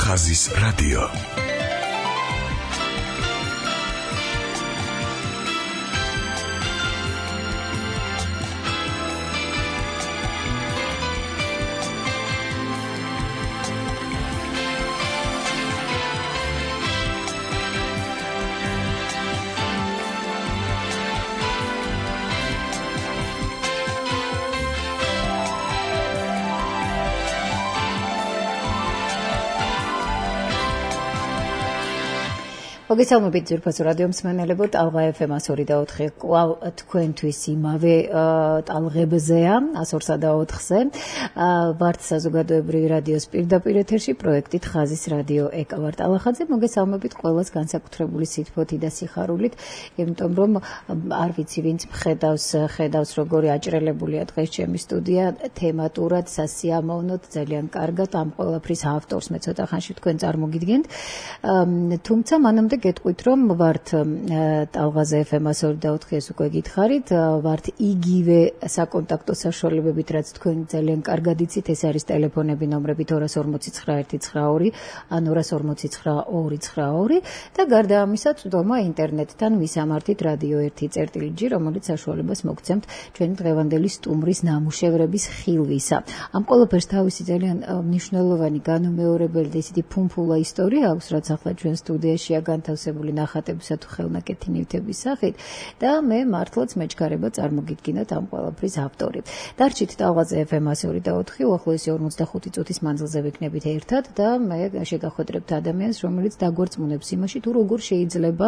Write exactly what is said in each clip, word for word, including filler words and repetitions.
ხაზის რადიო. მოგესალმებით ძვირფასო რადიო მსმენელებო, ტალღა ეფ ემ ათი და ოთხი კვლავ თქვენთვის იმავე ტალღებზეა, ათი და ოთხზე. ვართ საზოგადოებრივი რადიოს პირდაპირ ეთერში პროექტით ხაზის რადიო ეკა ვარ ტალახაძე. მოგესალმებით ყველას განსაკუთრებული სითბოთი და სიხარულით, იმიტომ რომ არ ვიცი ვინც ხედავს, ხედავს როგორი აჭრელებულია დღეს ჩემი სტუდია, თემატურად, სასიამოვნოდ, ძალიან კარგად ამ ყველაფრის ავტორს მე ცოტა ხანში თქვენ წარმოგიდგენთ. თუმცა მანამდე გეტყვით რომ ვართ ტალღაზე ეფ ემ ათი და ოთხი ეს უკვე გითხარით, ვართ იგივე საკონტაქტო საშუალებებით, რაც თქვენ ძალიან კარგად იცით, ეს არის ტელეფონები ნომრებით ორ ორმოცი ცხრა ერთი ცხრა ორი ან ორ ორმოცი ცხრა ორი ცხრა ორი და გარდა ამისა წვდომა ინტერნეტთან ვისამართით რადიო ერთი წერტილი ჯი, რომელიც საშუალებას მოგცემთ ჩვენი დღევანდელი სტუმრის ნამუშევრების ხილვისა. ამ ყველაფერს თავისი ძალიან მნიშვნელოვანი განუმეორებელი და ისეთი ფუმფულა ისტორია აქვს, რაც ახლა ჩვენ სტუდიაშია განთავსებული ნახატებისა თუ ხელნაკეთი ნივთების სახით და მე მართლაც მეჩქარება წარმოგიდგინოთ ამ ყველაფრის ავტორი. დარჩით ტალღაზე ეფ ემ ათი და ოთხი, უახლოესი ორმოცდახუთი წუთის მანძილზე ვიქნებით ერთად და მე შეგახვედრებთ ადამიანს, რომელიც დაგვარწმუნებს იმაში, თუ როგორ შეიძლება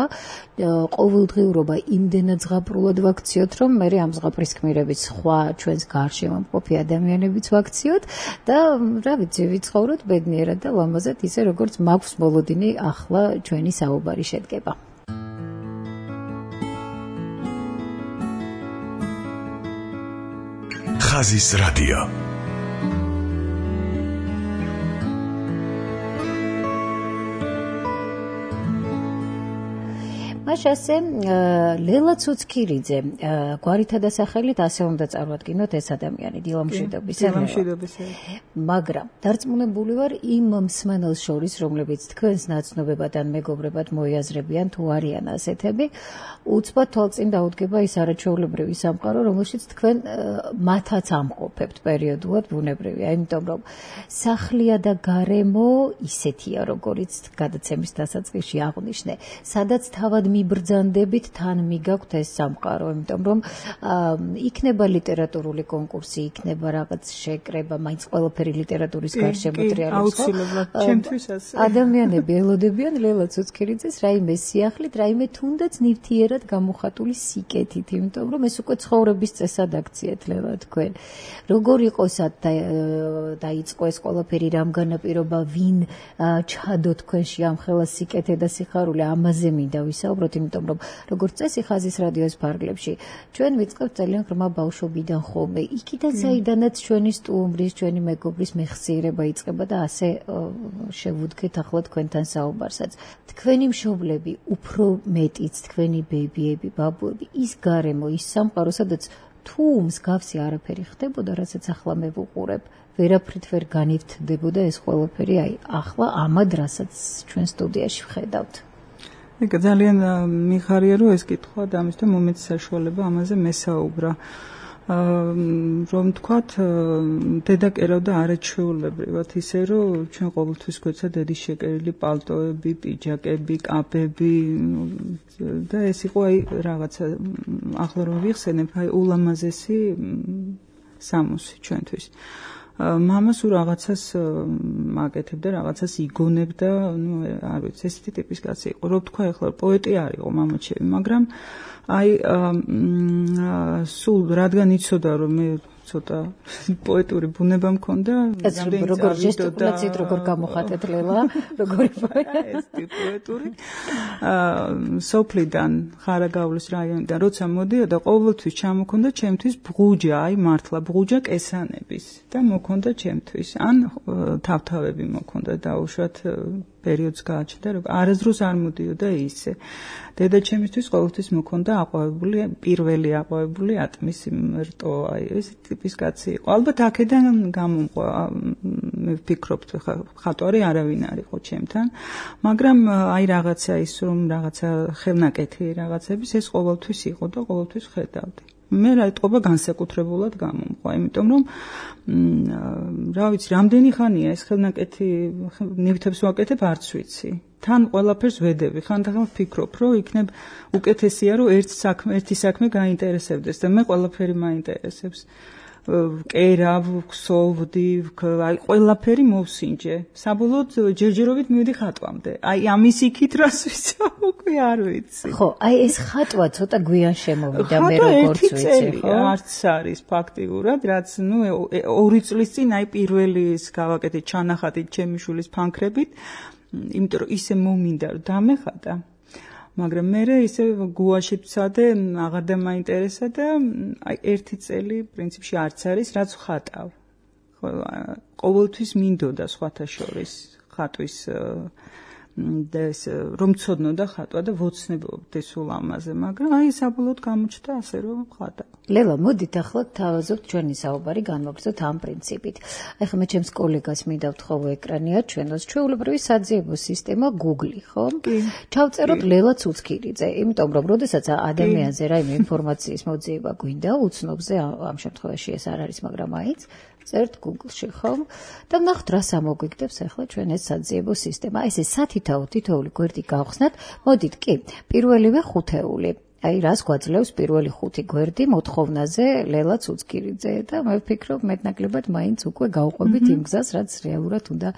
ყოველდღიურობა იმდენად ზღაპრულად ვაქციოთ, რომ მე ამ ზღაპრის ქმირებით სხვა ჩვენს გარშემო მყოფი ადამიანებიც ვაქციოთ და რა ვიცი, ვიცხოვროთ ბედნიერად და ლამაზად ისე როგორც მაქვს მოლოდინი ახლა ჩვენი საუბარი შედგება. ხაზის რადიო. მაშასე ლელა ცუცქირიძე გვარითა და სახელით ასე უნდა წარვადგინოთ ეს ადამიანი დილამშვიდობის მაგრამ დარწმუნებული ვარ იმ მსმენელს შორის, რომლებიც თქვენს ნაცნობებად ან მეგობრებად მოიაზრებიან თუ არიან ასეთები, უცბად თვალწინ დაუდგება ის არაჩვეულებრივი სამყარო, რომელშიც თქვენ მათაც ამყოფებთ პერიოდულად, ბუნებრივია, იმიტომ რომ სახლია და გარემო ისეთია, როგორიც გადაცემის დასაწყისში აღვნიშნე, სადაც თავად მიბრძანდებით თან მიგაქვთ ეს სამყარო, იმიტომ რომ იქნება ლიტერატურული კონკურსი, იქნება რაღაც შეკრება, მაინც ყველაფერი ლიტერატურის გარშემო ტრიალებს. ადამიანები ელოდებიან ლელა ცუცქირიძეს რაიმე სიახლით, რაიმე თუნდაც ნივთიერად გამოხატული სიკეთით, იმიტომ რომ ეს უკვე ცხოვრების წესად აქციეთ ლელა თქვენ. როგორ იყო დაიწყო ეს ყველაფერი, რამ განაპირობა, ვინ ჩადო თქვენში ამ ხელა სიკეთე და სიხარული, ამაზე მინდა ვისაუბროთ, იმიტომ რომ როგორც წესი ხაზის რადიოს ფარგლებში ჩვენ ვიწყებთ ძალიან ღრმა ბავშვობიდან ხოლმე, იქიდან საიდანაც ჩვენი სტუმრის, ჩვენი მეგობრის მეხსიერება იწყება და ასე შევუდგეთ ახლა თქვენთან საუბარსაც. თქვენი მშობლები, უფრო მეტიც თქვენი ბებიები, ბაბუები, ის გარემო, ის სამყარო, სადაც თუ მსგავსი არაფერი ხდებოდა, რასაც ახლა მე ვუყურებ, ვერაფრით ვერ განივთდებოდა ეს ყველაფერი, აი ახლა ამად რასაც ჩვენ სტუდიაში ვხედავთ. ეგ ძალიან მიხარია რომ ეს კითხვა და ამის და მომეც საშუალება ამაზე მესაუბრა. რომ თქვათ დედა კერავდა არაჩვეულებრივად ისე რომ ჩვენ ყოველთვის გვეცა დედის შეკერილი პალტოები, პიჯაკები, კაპები და ეს იყო აი რაღაცა ახლა რომ ვიხსენებ აი ულამაზესი სამოსი ჩვენთვის. მამას უ რაღაცას მაკეთებდა, რაღაცას იგონებდა, ნუ არ ვიცი, ესეთი ტიპის კაცი იყო. რო თქვა ახლა პოეტი არ იყო მამაჩემი, მაგრამ აი სულ რადგან იცოდა რომ მე ცოტა პოეტური ბუნება მქონდა, რამდენი როგორ ჟესტიკულაციით როგორ გამოხატეთ ლელა, როგორი პოეტური. სოფლიდან ხარაგაულის რაიონიდან როცა მოდიოდა, ყოველთვის ჩამოქონდა ჩემთვის ბღუჯა, აი მართლა ბღუჯა კესანების და მოქონდა ჩემთვის. ან თავთავები მოქონდა დაუშვათ პერიოდს გააჩნდა, რომ არასდროს არ მოდიოდა ისე. დედაჩემისთვის ყოველთვის მქონდა აყვავებული, პირველი აყვავებული ატმის რტო, აი ეს ტიპის კაცი იყო. ალბათ აქედან გამომყვა, მე ვფიქრობ, ხატვარი არავინ არ იყო ჩემთან, მაგრამ აი რაღაცა ის რომ რაღაცა ხელნაკეთი რაღაცების ეს ყოველთვის იყო და ყოველთვის ხედავდი. მე რა ეთყობა განსაკუთრებულად გამომყვა, იმიტომ რომ რა ვიცი, რამდენი ხანია ეს ხელნაკეთი ნივთებს ვაკეთებ, არც ვიცი. თან ყველაფერს ვედები, ხანდახან ვფიქრობ, რომ იქნებ უკეთესია, რომ ერთ საქმე, ერთი საქმე გაინტერესებდეს და მე ყველაფერი მაინტერესებს. კერავ, ქსოვდი, აი ყველაფერი მოვსინჯე. საბოლოოდ ჯერჯერობით მივედი ხატვამდე. აი ამის იქით რას ვიცავ, უკვე არ ვიცი. ხო, აი ეს ხატვა ცოტა გვიან შემოვიდა მე როგორც ვიცი, ხო? არც არის ფაქტიურად, რაც ნუ ორი წლის წინ აი პირველი ის გავაკეთე ჩანახატით ჩემი შვილის ფანქრებით, იმიტომ რომ ისე მომინდა რომ დამეხატა. მაგრამ მე ისე გუაში ვცადე, აღარ დამაინტერესა და აი ერთი წელი პრინციპში არც არის, რაც ხატავ. ყოველთვის მინდოდა სხვათა შორის ხატვის და ეს რომ ცოდნოდა ხატვა და ვოცნებობდი სულ ამაზე, მაგრამ აი საბოლოოდ გამოჩნდა ასე რომ ხატავ. ლელა, მოდით ახლა თავაზობთ ჩვენი საუბარი განვაგრძოთ ამ პრინციპით. ახლა მე ჩემს კოლეგას მინდა ვთხოვო ეკრანია ჩვენოს ჩვეულებრივი საძიებო სისტემა Google, ხო? ჩავწეროთ ლელა ცუცქირიძე, იმიტომ რომ როდესაც ადამიანზე რაიმე ინფორმაციის მოძიება გვინდა, უცნობზე ამ შემთხვევაში ეს არ არის, მაგრამ აიც წერთ Google-ში, ხო? და ნახოთ რა სამოგვიგდებს ახლა ჩვენ ეს საძიებო სისტემა. ესე სათითაო თითოეული გვერდი გავხსნათ. მოდით კი, პირველივე ხუთეული. აი რას გვაძლევს პირველი ხუთი გვერდი მოთხოვნაზე ლელა ცუცქირიძე და მე ვფიქრობ მეტნაკლებად მაინც უკვე გავყვებით იმ გზას, რაც რეალურად უნდა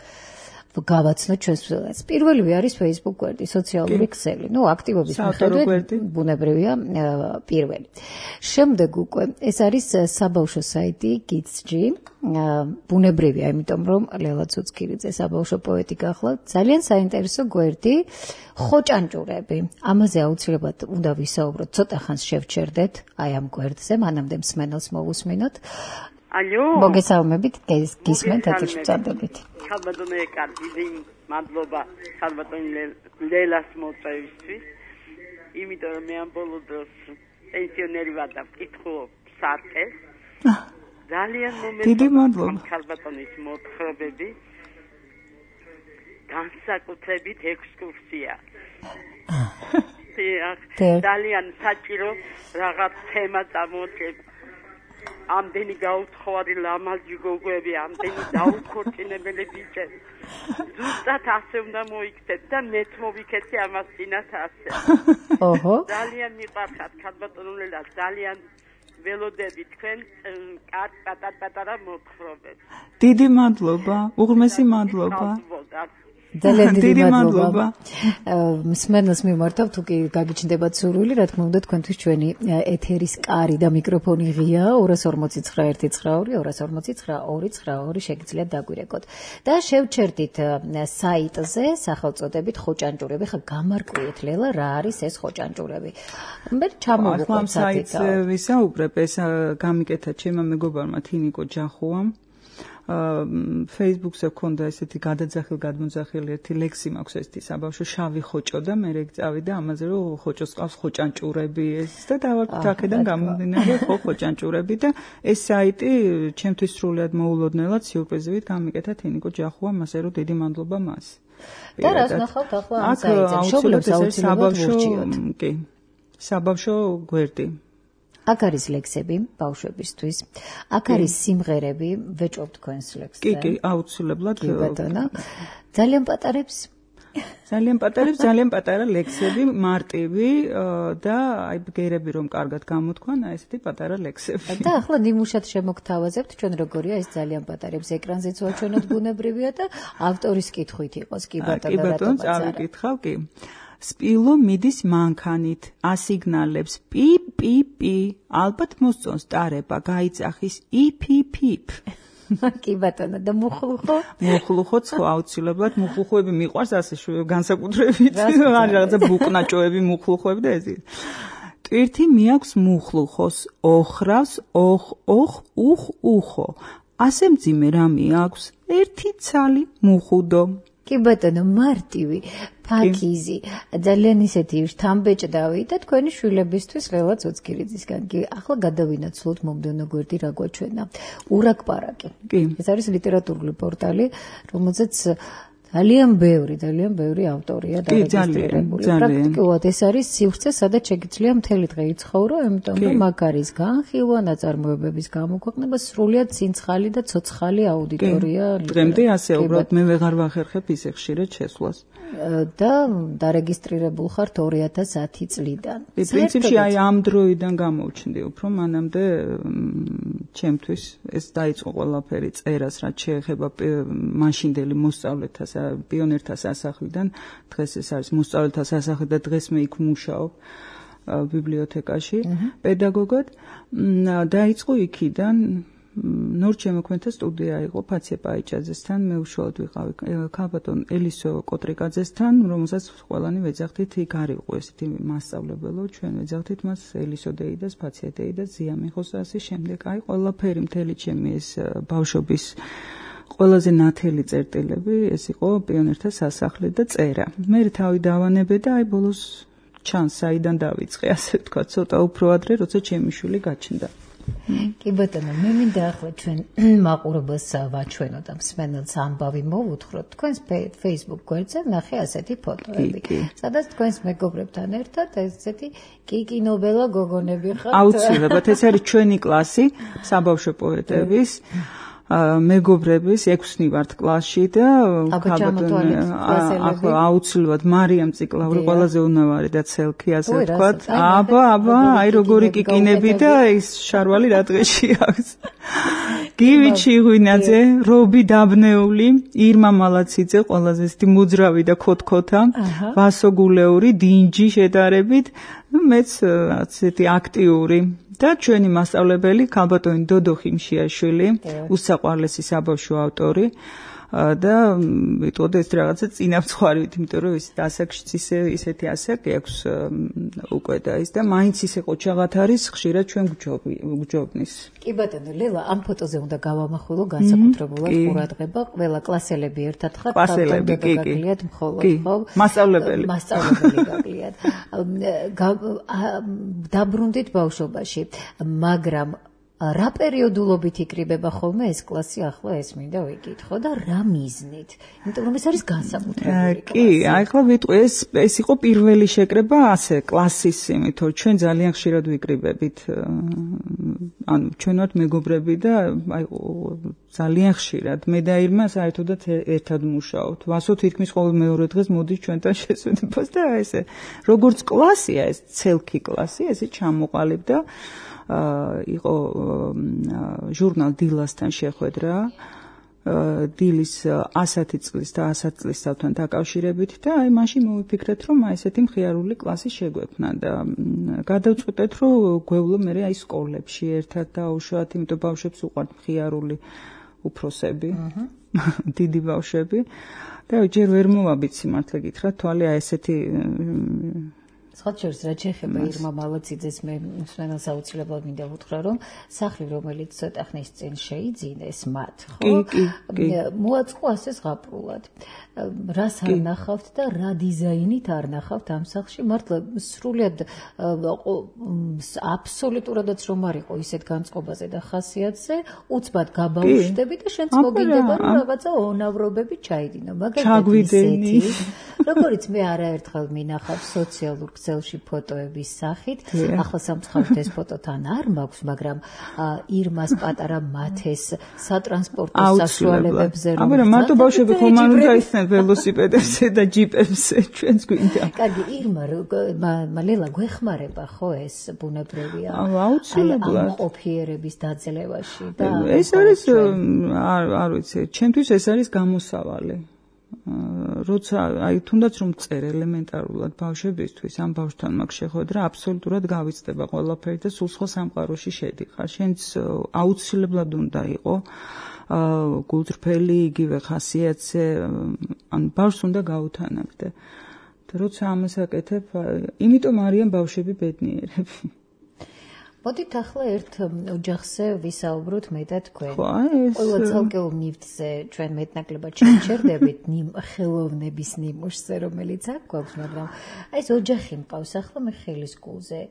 გავაცნოთ ჩვენს ფილმს. პირველივე არის Facebook გვერდი, სოციალური ქსელი. ნუ აქტივობის მიხედვით ბუნებრივია პირველი. შემდეგ უკვე ეს არის საბავშვო საიტი Kids-G. ბუნებრივია, იმიტომ რომ ლელა ცუცქირიძე საბავშვო პოეტი გახლავთ. ძალიან საინტერესო გვერდი, ხოჭანჭურები. ამაზე აუცილებლად უნდა ვისაუბროთ, ცოტა ხანს შევჩერდეთ აი ამ გვერდზე, მანამდე მსმენელს მოვუსმინოთ. ალო, მოგესალმებით, გისმენთ ეთერში წადებით. ხალბატონო ეკარდი, მადლობა ხალბატონ ლელას მოწვევისთვის. იმიტომ რომ მე ამ ბოლო დროს პენსიონერი ვარ და ვკითხულობ სარკეს. ძალიან მომეწონა. დიდი მადლობა. ხალბატონის მოთხრობები. განსაკუთრებით ექსკურსია. ძალიან საჭირო რაღაც თემა წამოწევ. ამდენი გაუთხოვარი ლამაზი გოგოები, ამდენი დაუქორწინებელი ბიჭები. ზუსტად ასე უნდა მოიქცეთ და მეც მოვიქეცი ამას წინათ ასე. ოჰო. ძალიან მიყარხათ ხალბატონო ლელა, ძალიან ველოდები თქვენ კარგ პატარ-პატარა მოთხრობებს. დიდი მადლობა, უღრმესი მადლობა. ძალიან დიდი მადლობა. მსმენელს მიმართავ, თუ კი გაგიჩნდებათ სურვილი, რა თქმა უნდა, თქვენთვის ჩვენი ეთერის კარი და მიკროფონი ღია ორას ორმოცი ცხრა ერთი ცხრა ორი ორას ორმოცი ცხრა ორი ცხრა ორი შეგიძლიათ დაგვირეკოთ. და შევჩერდით საიტზე სახელწოდებით ხოჭანჭურები. ხა გამარკვიეთ ლელა, რა არის ეს ხოჭანჭურები. მე ჩამოვუყვეთ საიტზე ვისაუბრებ, ეს გამიკეთა ჩემმა მეგობარმა თინიკო ჯახუამ. Facebook-ზე ქონდა ესეთი გადაძახილ გადმოძახილი ერთი ლექსი მაქვს ესეთი საბავშვო შავი ხოჭო და მე რეგ წავიდა ამაზე რომ ხოჭოს ყავს ხოჭანჭურები ეს და დავაკვირთ აქედან გამომდინარე ხო ხოჭანჭურები და ეს საიტი ჩემთვის სრულიად მოულოდნელად სიურპრიზივით გამიკეთა თინიკო ჯახუამ, ასე რომ დიდი მადლობა მას. და რას ნახავთ ახლა ამ საიტზე? შობლებს აუცილებლად ვურჩიოთ. კი. საბავშვო გვერდი. აქ არის ლექსები ბავშვებისთვის. აქ არის სიმღერები, ვეჭობ თქვენს ლექსზე. კი, კი, აუცილებლად. კი ბატონო. ძალიან პატარებს? ძალიან პატარებს, ძალიან პატარა ლექსები, მარტივი და აი ბგერები რომ კარგად გამოთქვან, აი ესეთი პატარა ლექსები. და ახლა ნიმუშად შემოგთავაზებთ ჩვენ როგორია ეს ძალიან პატარებს ეკრანზეც ვაჩვენოთ ბუნებრივია და ავტორის კითხვით იყოს კი ბატონო. კი ბატონო, წავიკითხავ, კი. სპილო მიდის მანქანით, ასიგნალებს პი პი პი, ალბათ მოსწონს ტარება, გაიწახის იფ-ფიფ. კი ბატონო, და მუხლუხო? მუხლუხოც ხო აუცილებლად, მუხლუხოები მიყვარს ასე განსაკუთრებით, რაღაცა ბუკნაჭოები, მუხლუხოები და ეს. ტვირთი მიაქვს მუხლუხოს, ოხრავს, ოხ, ოხ, უხ, უხო. ასე მძიმე რამე აქვს, ერთი ცალი მუხუდო. კი ბატონო, მარტივი, ფაქიზი, ძალიან ისეთი შთამბეჭდავი და თქვენი შვილებისთვის ხელაც უცქირიძისგან. კი, ახლა გადავინაცვლოთ მომდევნო გვერდი რა გვაჩვენა. ურაკპარაკი. ეს არის ლიტერატურული პორტალი, რომელზეც ძალიან ბევრი, ძალიან ბევრი ავტორია დარეგისტრირებული. პრაქტიკულად ეს არის სივრცე, სადაც შეგიძლია მთელი დღე იცხოვრო, ამიტომ რომ მაგ არის განხილვა, ნაწარმოებების გამოქვეყნება, სრულიად ცინცხალი და ცოცხალი აუდიტორია. დღემდე ასე უბრალოდ მე ვეღარ ვახერხებ ისე ხშირად შესვლას. და დარეგისტრირებულ ხართ ორი ათას ათი წლიდან. პრინციპში აი ამ დროიდან გამოვჩნდი უფრო, მანამდე ჩემთვის ეს დაიწყო ყველაფერი წერას, რაც შეეხება მაშინდელი მოსწავლეთას, პიონერთა სასახლიდან, დღეს ეს არის მოსწავლეთა სასახლი და დღეს მე იქ ვმუშაობ ბიბლიოთეკაში პედაგოგად. დაიწყო იქიდან ნორ ჩემოქმედთა სტუდია იყო ფაცია პაიჭაძესთან, მე უშუალოდ ვიყავი ქალბატონ ელისო კოტრიკაძესთან, რომელსაც ყველანი ვეძახდით, იქ არ იყო ესეთი მასწავლებელო, ჩვენ ვეძახდით მას ელისო დეიდას, ფაცია დეიდას, ზია მიხოს და ასე შემდეგ. აი ყველაფერი მთელი ჩემი ეს ბავშვობის ყველაზე ნათელი წერტილები ეს იყო პიონერთა სასახლე და წერა. მე თავი დავანებე და აი ბოლოს ჩანს საიდან დავიწყე, ასე ვთქვა, ცოტა უფრო ადრე, როცა ჩემი შვილი გაჩნდა. კი ბატონო, მე მინდა ახლა ჩვენ მაყურებელს ვაჩვენოთ და მსმენელს ამბავი მოვუთხროთ. თქვენს Facebook გვერდზე ნახე ასეთი ფოტოები, სადაც თქვენს მეგობრებთან ერთად ესეთი კიკინობელა გოგონები ხართ. აუცილებლად, ეს არის ჩვენი კლასი, საბავშვო პოეტების. მეგობრების ექვსნი ვართ კლასში და ახლა აუცილებლად მარიამ ციკლავრი ყველაზე უნავარი და ცელქი ასე ვთქვათ. აბა, აბა, აი როგორი კიკინები და ის შარვალი რა დღეში აქვს. გივი ჩიღვინაძე, რობი დაბნეული, ირმა მალაციძე, ყველაზე ისეთი მოძრავი და ქოთქოთა, ვასო გულეური, დინჯი შედარებით, მეც ასეთი აქტიური და ჩვენი მასწავლებელი ქალბატონი დოდო ხიმშიაშვილი, უსაყვარლესი საბავშვო ავტორი და ვიტყოდე ეს რაღაცა წინამძღვარით, იმიტომ რომ ის ასაკშიც ისე ისეთი ასაკი აქვს უკვე და ის და მაინც ისე ყოჩაღად არის, ხშირად ჩვენ გვჯობნის. კი ბატონო, ლელა, ამ ფოტოზე უნდა გავამახვილო განსაკუთრებულად ყურადღება, ყველა კლასელები ერთად ხართ, კლასელები, კი, კი. მხოლოდ, ხო? მასწავლებელი. მასწავლებელი გაკლიათ. დაბრუნდით ბავშვობაში, მაგრამ რა პერიოდულობით იკრიბება ხოლმე ეს კლასი, ახლა ეს მინდა ვიკითხო და რა მიზნით? იმიტომ რომ ეს არის განსაკუთრებული კლასი. კი, ახლა ვიტყვი ეს ეს იყო პირველი შეკრება ასე კლასის იმით, რომ ჩვენ ძალიან ხშირად ვიკრიბებით. ანუ ჩვენ ვართ მეგობრები და აი ძალიან ხშირად მე და ირმა საერთოდაც ერთად ვმუშაობთ. ვასო თითქმის ყოველ მეორე დღეს მოდის ჩვენთან შესვენებას და ესე როგორც კლასია ეს ცელქი კლასი, ესე ჩამოყალიბდა. იყო ჟურნალ დილასთან შეხვედრა დილის ასათი წლის და ასად წლისთავთან დაკავშირებით და აი მაშინ მოვიფიქრეთ რომ აი ესეთი მხიარული კლასი შეგვექმნა და გადავწყვეტეთ რომ გვევლო მე აი სკოლებში ერთად დაუშვათ, იმიტომ ბავშვებს უყვართ მხიარული უფროსები, დიდი ბავშვები და ჯერ ვერ მოვაბით სიმართლე გითხრათ, თვალე აი ესეთი სხვაჩერს რა შეეხება ირმა მალაციძეს მე მსმენელს აუცილებლად მინდა ვუთხრა რომ სახლი რომელიც ცოტა ხნის წინ შეიძინეს მათ ხო მოაწყო ასე ზღაპრულად რას არ ნახავთ და რა დიზაინით არ ნახავთ ამ სახლში მართლა სრულიად აბსოლუტურადაც რომ არ იყო ისეთ განწყობაზე და ხასიათზე უცბად გაბავშვდები და შენც მოგინდება რომ რაღაცა ონავრობები ჩაიდინო მაგალითად ისეთი როგორც მე არაერთხელ მინახავ სოციალურ ქსელში ფოტოების სახით ახლა სამწუხაროდ ეს ფოტო თან არ მაქვს მაგრამ ირმას პატარა მათეს სატრანსპორტო საშუალებებზე რომ აბა მარტო ბავშვები ხომ არ უნდა ისნენ ველოსიპედებზე და ჯიპებზე ჩვენს გვინდა კარგი ირმა მალელა გვეხმარება ხო ეს ბუნებრივია აუცილებლად ამ ყოფიერების დაძლევაში და ეს არის არ არ ვიცი ჩემთვის ეს არის გამოსავალი როცა აი თუნდაც რომ წერ ელემენტარულად ბავშვებისთვის ამ ბავშვთან მაქვს შეხვედრა აბსოლუტურად გავიცდება ყველაფერი და სულ სხვა სამყაროში შედიხარ შენც აუცილებლად უნდა იყო გულწრფელი იგივე ხასიათზე ან ბავშვს უნდა გაუთანაგდე და როცა ამას აკეთებ იმიტომ არიან ბავშვები ბედნიერები მოდით ახლა ერთ ოჯახზე ვისაუბროთ მე და თქვენ. ხო, ეს ყველა ცალკეულ ნივთზე ჩვენ მეტნაკლებად შევჩერდებით ხელოვნების ნიმუშზე, რომელიც აქ გვაქვს, მაგრამ აი ეს ოჯახი მყავს ახლა მე ხელის გულზე.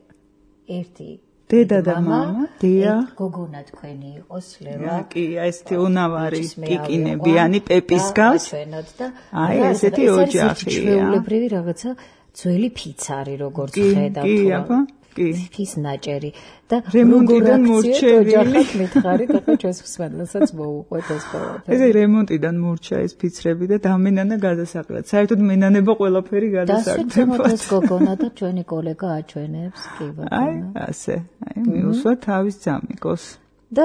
ერთი დედა და მამა, დია, გოგონა თქვენი იყოს, ლელა. კი, ესეთი უნავარი კიკინებიანი პეპის გავს. აი ესეთი ოჯახია. ჩვეულებრივი რაღაცა ძველი ფიცარი როგორც ხედავთ. კი, აბა, კი. ფის ნაჭერი და რემონტიდან მორჩევილი. ოჯახად მითხარით, ახლა ჩვენს ხსნელსაც მოუყვეთ ეს ყველაფერი. ეს რემონტიდან მორჩა ეს ფიცრები და დამენანა გადასაყრად. საერთოდ მენანება ყველაფერი გადასაგდებად. და ეს გოგონა და ჩვენი კოლეგა აჩვენებს, კი ბატონო. აი, ასე. აი, მიუსვა თავის ძამიკოს. და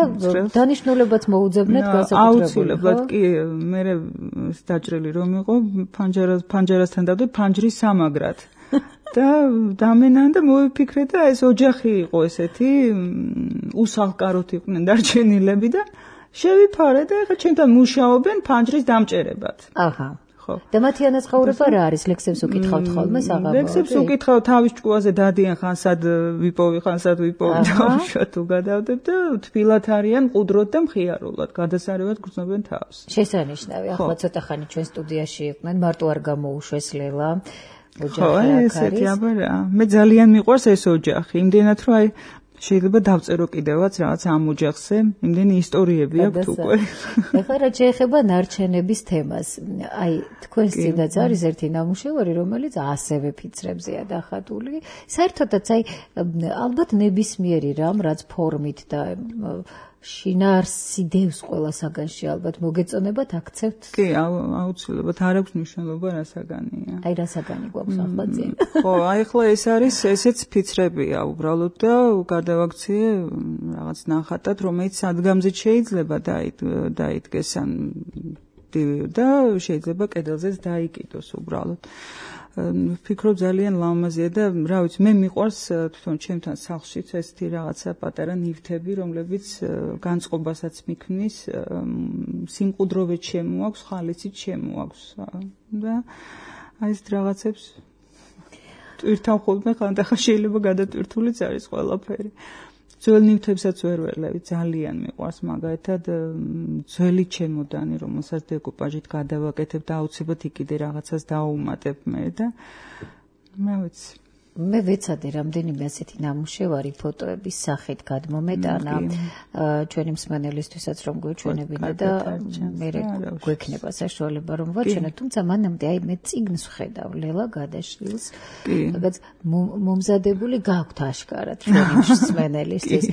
დანიშნულებაც მოუძებნეთ განსაკუთრებული. აუცილებლად კი, მე დაჭრილი რომ იყო ფანჯარას ფანჯარასთან დავდე ფანჯრის სამაგრად. და დამენან და მოვიფიქრე და ეს ოჯახი იყო ესეთი უსახლკაროთ იყვნენ დარჩენილები და შევიფარე და ეხლა ჩემთან მუშაობენ ფანჯრის დამჭერებად. აჰა. ხო. და მათი ანაზღაურება რა არის? ლექსებს უკითხავთ ხოლმე საღამოთი? ლექსებს უკითხავ თავის ჭკუაზე დადიან ხანსად ვიპოვი, ხანსად ვიპოვი და უშუალოდ უგადავდებ და თბილად არიან ყუდროდ და მხიარულად გადასარევად გრძნობენ თავს. შესანიშნავი. ახლა ცოტა ხანი ჩვენ სტუდიაში იყვნენ, მარტო არ გამოუშვეს ლელა. ხო, ესეთი აბა რა. მე ძალიან მიყვარს ეს ოჯახი. იმდენად რომ აი შეიძლება დავწერო კიდევაც რაღაც ამ ოჯახზე, იმდენი ისტორიები აქვს უკვე. ეხლა რა შეეხება ნარჩენების თემას. აი, თქვენს წინაც არის ერთი ნამუშევარი, რომელიც ასევე ფიცრებზეა დახატული. საერთოდაც აი ალბათ ნებისმიერი რამ, რაც ფორმით და შინაარსი დევს ყველა საგანში ალბათ მოგეწონებათ აქცევთ? კი, აუცილებლად არ აქვს მნიშვნელობა რა საგანია. აი რა საგანი გვაქვს ახლა წინ? ხო, აი ახლა ეს არის ესეც ფიცრებია უბრალოდ და გადავაქციე რაღაც ნახატად, რომელიც სადგამზეც შეიძლება დაიდგეს ან და შეიძლება კედელზეც დაიკიდოს უბრალოდ. ვფიქრობ ძალიან ლამაზია და რა ვიცი მე მიყვარს თვითონ ჩემთან სახლშიც ესეთი რაღაცა პატარა ნივთები რომლებიც განწყობასაც მიქმნის სიმყუდროვეც შემოაქვს ხალისიც შემოაქვს და აი ეს რაღაცებს ტვირთან ხოლმე ხანდახან შეიძლება გადატვირთულიც არის ყველაფერი ძველ ნივთებსაც ვერ ველევი ძალიან მიყვარს მაგალითად ძველი ჩემოდანი რომელსაც დეკუპაჟით გადავაკეთებ და აუცილებლად იქიდე რაღაცას დაუმატებ მე და მე ვიცი მე ვეცადე რამდენიმე ასეთი ნამუშევარი ფოტოების სახით გადმომეტანა ჩვენი მსმენელისთვისაც რომ გვეჩვენებინა და მე გვექნება საშუალება რომ ვაჩვენო თუმცა მანამდე აი მე წიგნს ვხედავ ლელა გადაშლილს რაღაც მომზადებული გაქვთ აშკარად ჩვენი მსმენელისთვის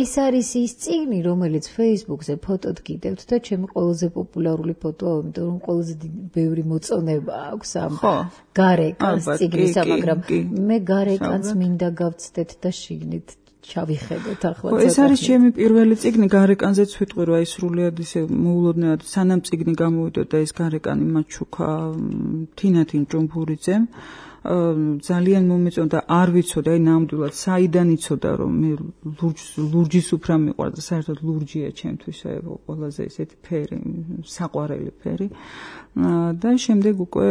ეს არის ის წიგნი რომელიც Facebook-ზე ფოტოდ გიდევთ და ჩემი ყველაზე პოპულარული ფოტოა იმიტომ რომ ყველაზე ბევრი მოწონება აქვს ამ გარეკანს წიგნისა მაგრამ მე გარეკანს მინდა გავცდეთ და შიგნით ჩავიხედოთ ახლა. ეს არის ჩემი პირველი წიგნი გარეკანზეც ვიტყვი რომ აი სრულიად ისე მოულოდნელად სანამ წიგნი გამოვიდა და ეს გარეკანი მაჩუქა თინათინ ჭუმფურიძემ ძალიან მომეწონდა არ ვიცოდი აი ნამდვილად საიდან იცოდა რომ მე ლურჯის უფრა მიყვარდა საერთოდ ლურჯია ჩემთვის აი ყველაზე ესეთი ფერი საყვარელი ფერი და შემდეგ უკვე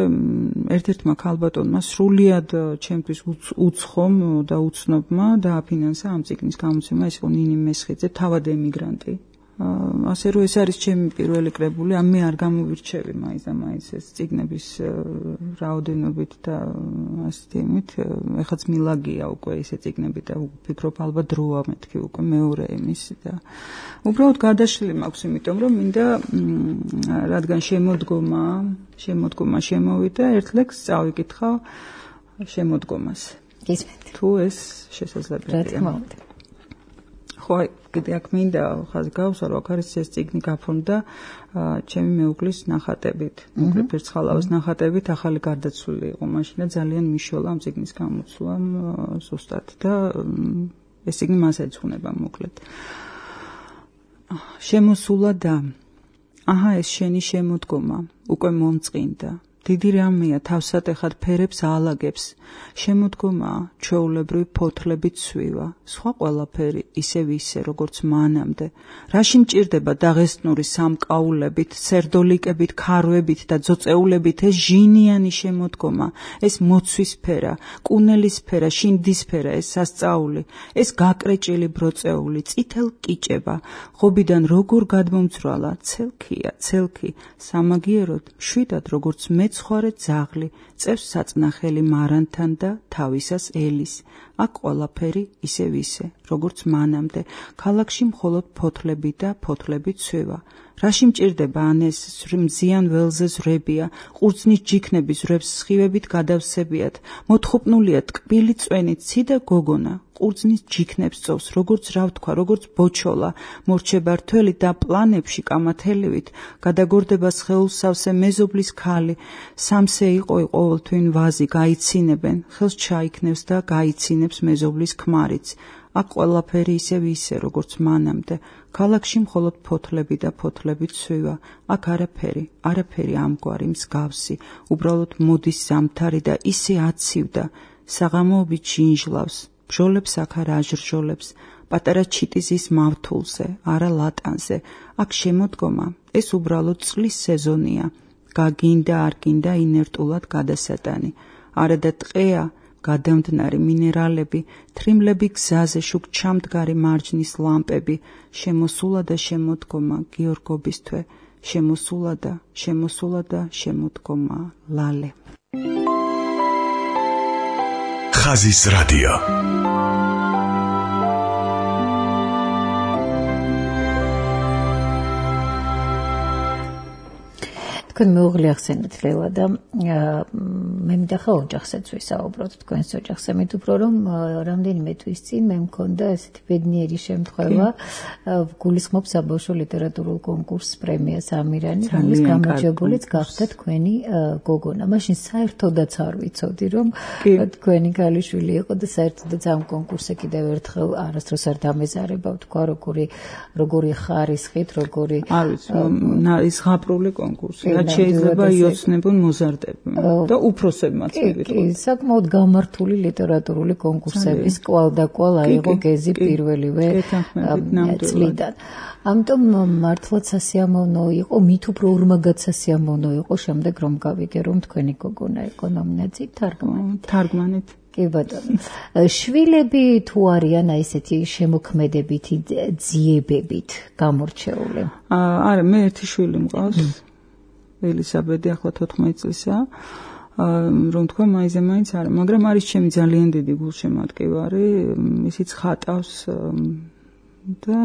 ერთ-ერთმა ქალბატონმა სრულიად ჩემთვის უცხომ და უცნობმა დააფინანსა ამ წიგნის გამოცემა ეს იყო ნინი მესხიძე თავად ემიგრანტი ასე რომ ეს არის ჩემი პირველი კრებული, ამ მე არ გამოვირჩევი მაინც და მაინც ეს წიგნების რაოდენობით და ასეთი იმით, ეხაც მილაგია უკვე ესე წიგნები და ვფიქრობ ალბათ დროა მეთქი უკვე მეორე იმისი და უბრალოდ გადაშლილი მაქვს, იმიტომ რომ მინდა რადგან შემოდგომა, შემოდგომა შემოვიდა, ერთ ლექსს წავიკითხავ შემოდგომას. გისმენთ. თუ ეს შესაძლებელია. რა თქმა უნდა. ხო, კიდე აქ მინდა ხაზი გავუსვა, რომ აქ არის ეს წიგნი გაფორმდა ჩემი მეუღლის ნახატებით, მოკლედ ფერცხალავის ნახატებით, ახალი გარდაცვლილი იყო მაშინ და ძალიან მიშოლა ამ წიგნის გამოცვლამ ზუსტად და ეს წიგნი მას ეძღვნება მოკლედ. შემოსულა და აჰა ეს შენი შემოდგომა უკვე მომწყინდა დიდი რამეა თავსატეხად ფერებს აალაგებს, შემოდგომაა ჩვეულებრივი ფოთლებით ცვივა, სხვა ყველაფერი ისევ ისე, როგორც მანამდე. რაში მჭირდება დაღესტნური სამკაულებით, სერდოლიკებით, ქარვებით და ძოწეულებით ეს ჟინიანი შემოდგომა, ეს მოცვისფერა, კუნელისფერა, შინდისფერა, ეს სასწაული, ეს გაკრეჭილი ბროწეული, წითელ კიჭება, ღობიდან როგორ გადმომძრალა, ცელქია, ცელქი, სამაგიეროდ, მშვიდად როგორც მეცხვარე ძაღლი, წევს საწნახელი მარანთან და თავისას ელის. აქ ყველაფერი ისევ ისე, როგორც მანამდე, ქალაქში მხოლოდ ფოთლები და ფოთლები ცვივა. რაში მჭირდება ან ეს მზიან ველზე ზვრებია, ყურძნის ჯიქნები ზვრებს სხივებით გადავსებიათ, მოთხუპნულია ტკბილი წვენი ცი და გოგონა, ყურძნის ჯიქნებს წოვს, როგორც რა ვთქვა, როგორც ბოჩოლა, მორჩება რთველი და პლანებში კამათელივით, გადაგორდება სხეულსავსე მეზობლის ქალი, სამსე იყო ყოველთვინ ვაზი, გაიცინებენ, ხელს ჩაიქნევს და გაიცინებს მეზობლის ქმარიც. აქ ყველაფერი ისევ ისე, როგორც მანამდე, ქალაქში მხოლოდ ფოთლები და ფოთლები ცვივა, აქ არაფერი, არაფერი ამგვარი მსგავსი, უბრალოდ მოდის ზამთარი და ისე აცივდა, საღამოობით ჟინჟლავს, ბჟოლებს აქ არ აჟრჟოლებს, პატარა ჩიტიზის მავთულზე, არა ლატანზე, აქ შემოდგომა, ეს უბრალოდ წლის სეზონია, გაგინდა არ გინდა ინერტულად გადასატანი, არა და ტყეა, გადამდნარი მინერალები, თრიმლები გზაზე შუქ ჩამდგარი მარჯნის ლამპები, შემოსულა და შემოდგომა გიორგობის თვე, შემოსულა და შემოსულა და შემოდგომა ლალე. ხაზის რადიო. თქვენ მეუღლე ახსენეთ ლელა და მე მინდა ოჯახსაც ვისაუბროთ თქვენს ოჯახზე, მით უფრო რომ რამდენიმე თვის წინ მე მქონდა ესეთი ბედნიერი შემთხვევა, გულისხმობს საბავშვო ლიტერატურულ კონკურსს პრემიას ამირანი, რომლის გამარჯვებულიც გახდა თქვენი გოგონა. მაშინ საერთოდაც არ ვიცოდი რომ თქვენი ქალიშვილი იყო და საერთოდაც ამ კონკურსზე კიდევ ერთხელ არასდროს არ დამეზარება თქვა როგორი როგორი ხარისხით, როგორი არ ვიცი, ის ღაპრული კონკურსია. შეიძლება იოცნებონ მოზარდებმა და უფროსებმაც მივიღოთ. კი, საკმაოდ გამართული ლიტერატურული კონკურსების კვალ და კვალ აიღო გეზი პირველივე წლიდან. ამიტომ მართლაც სასიამოვნო იყო, მით უფრო ორმაგად სასიამოვნო იყო შემდეგ რომ გავიგე რომ თქვენი გოგონა იყო ნომინაციით თარგმანით. თარგმანით. კი ბატონო. შვილები თუ არიან აი ესეთი შემოქმედებითი ძიებებით გამორჩეული? არა, მე ერთი შვილი მყავს. ელისაბედი ახლა თოთხმეტი წლისაა, რომ თქვა მაიზე მაინც არა, მაგრამ არის ჩემი ძალიან დიდი გულშემატკივარი, ისიც ხატავს და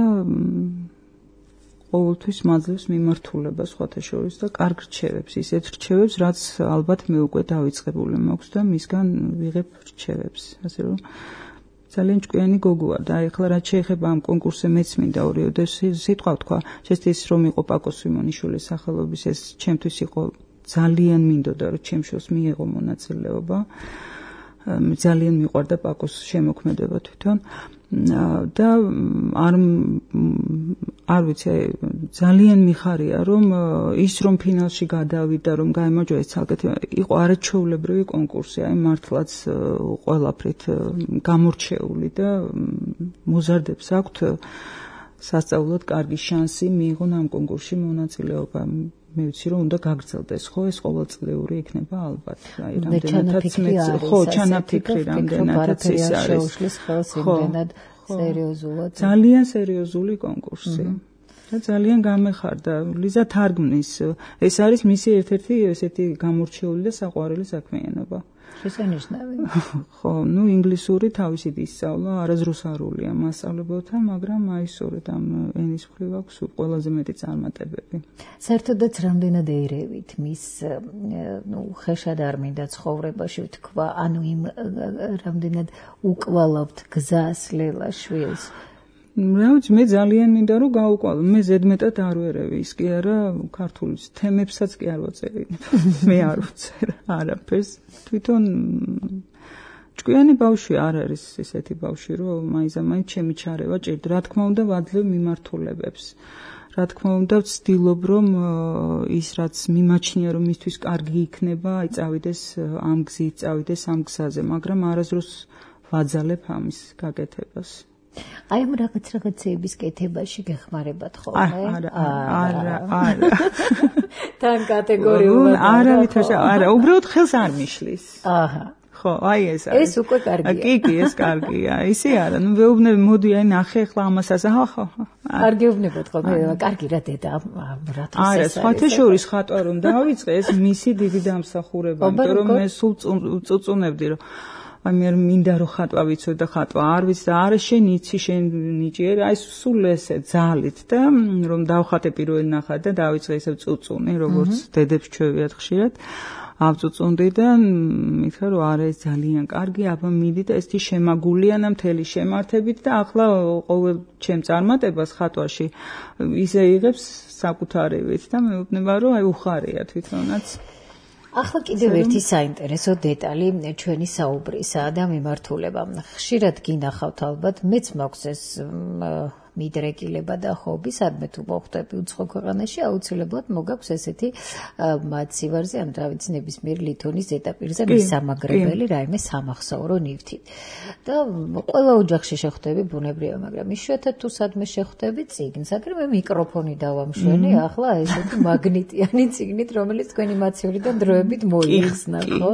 ყოველთვის მაძლევს მიმართულებას სხვათა შორის და კარგ რჩევებს, ისეთ რჩევებს, რაც ალბათ მე უკვე დავიწყებული მაქვს და მისგან ვიღებ რჩევებს, ასე რომ ძალიან ჭკვიანი გოგოა და ეხლა რაც შეეხება ამ კონკურსზე მეც მინდა ორიოდე სიტყვა ვთქვა, შესაძლოა ის რომ იყო პაკო სვიმონიშვილის სახელობის, ეს ჩემთვის იყო ძალიან მინდოდა რომ ჩემ შვილს მიიღო მონაწილეობა. ძალიან მიყვარდა პაკოს შემოქმედება თვითონ და არ არ ვიცი, ძალიან მიხარია რომ ის რომ ფინალში გადავიდა, რომ გაიმარჯვა ეს ცალკე იყო არაჩვეულებრივი კონკურსი, აი მართლაც ყველაფრით გამორჩეული და მოზარდებს აქვთ სასწაულად კარგი შანსი მიიღონ ამ კონკურსში მონაწილეობა. მე ვიცი რომ უნდა გაგრძელდეს, ხო, ეს ყოველწლიური იქნება ალბათ. აი რამდენადაც მე ხო ჩანაფიქრი რამდენადაც ის არის. სერიოზულად. ძალიან სერიოზული კონკურსი. და ძალიან გამეხარდა ლიზა თარგმნის. ეს არის მისი ერთ-ერთი ესეთი გამორჩეული და საყვარელი საქმიანობა. შესანიშნავი. ხო, ნუ ინგლისური თავისით ისწავლა, არაზრუსარულია მასწავლებელთან, მაგრამ აი სწორედ ამ ენის მხრივ აქვს ყველაზე მეტი წარმატებები. საერთოდაც რამდენად ერევით მის, ნუ ხეშად არ მინდა ცხოვრებაში ვთქვა, ანუ იმ რამდენად უკვალავთ გზას ლელა შვილს. რა ვიცი, მე ძალიან მინდა რომ გაუყვალო, მე ზედმეტად არ ვერევი, ის კი არა ქართული თემებსაც კი არ ვაწერი. მე არ ვწერ არაფერს. თვითონ ჭკვიანი ბავშვი არ არის ესეთი ბავშვი, რომ მაინც-მაინც ჩემი ჩარევა ჭირდა. რა თქმა უნდა, ვაძლევ მიმართულებებს. რა თქმა უნდა ვცდილობ რომ ის რაც მიმაჩნია რომ მისთვის კარგი იქნება აი წავიდეს ამ გზით წავიდეს ამ გზაზე მაგრამ არასდროს ვაძალებ ამის გაკეთებას აი ამ რაღაც რაღაცეების კეთებაში გეხმარებათ ხოლმე არა არა არა თან კატეგორიულად არა ვითაშა არა უბრალოდ ხელს არ მიშლის აჰა ხო აი ეს არის ეს უკვე კარგია კი კი ეს კარგია ისე არა ნუ ვეუბნები მოდი აი ნახე ახლა ამასაც ხო ხო კარგი უბნებოდ ხოლმე კარგი რა დედა რა თქმა უნდა არა სხვათა შორის ხატვა რომ დავიწყე ეს მისი დიდი დამსახურება იმიტომ რომ მე სულ წუწუნებდი რომ აი მე მინდა რომ ხატვა ვიცო და ხატვა არ ვიცი და არა შენ იცი შენ ნიჭიერ აი სულ ესე ძალით და რომ დავხატე პირველი ნახატ და დავიწყე ესე წუწუნი როგორც დედებს ჩვევიათ ხშირად ავწუწუნდი და მითხრა რომ არა ეს ძალიან კარგი აბა მიდი და ესეთი შემაგულიანა მთელი შემართებით და ახლა ყოველ ჩემ წარმატებას ხატვაში ისე იღებს საკუთარებით და მეუბნება რომ აი უხარია თვითონაც ახლა კიდევ ერთი საინტერესო დეტალი ჩვენი საუბრისა და მიმართულება. ხშირად გინახავთ ალბათ, მეც მაქვს ეს მიდრეკილება და ჰობი, სადმე თუ მოხვდები უცხო ქვეყანაში, აუცილებლად მოგაქვს ესეთი მაცივარზე, ან რა ვიცი, ნებისმიერ ლითონის ზედაპირზე მისამაგრებელი რაიმე სამახსოვრო ნივთი. და ყველა ოჯახში შეხვდები ბუნებრივია, მაგრამ იშვიათად თუ სადმე შეხვდები წიგნს, აგრე მე მიკროფონი დავამშვენი, ახლა ესეთი მაგნიტიანი წიგნით, რომელიც თქვენი მაცივრიდან დროებით მოიხსნა, ხო?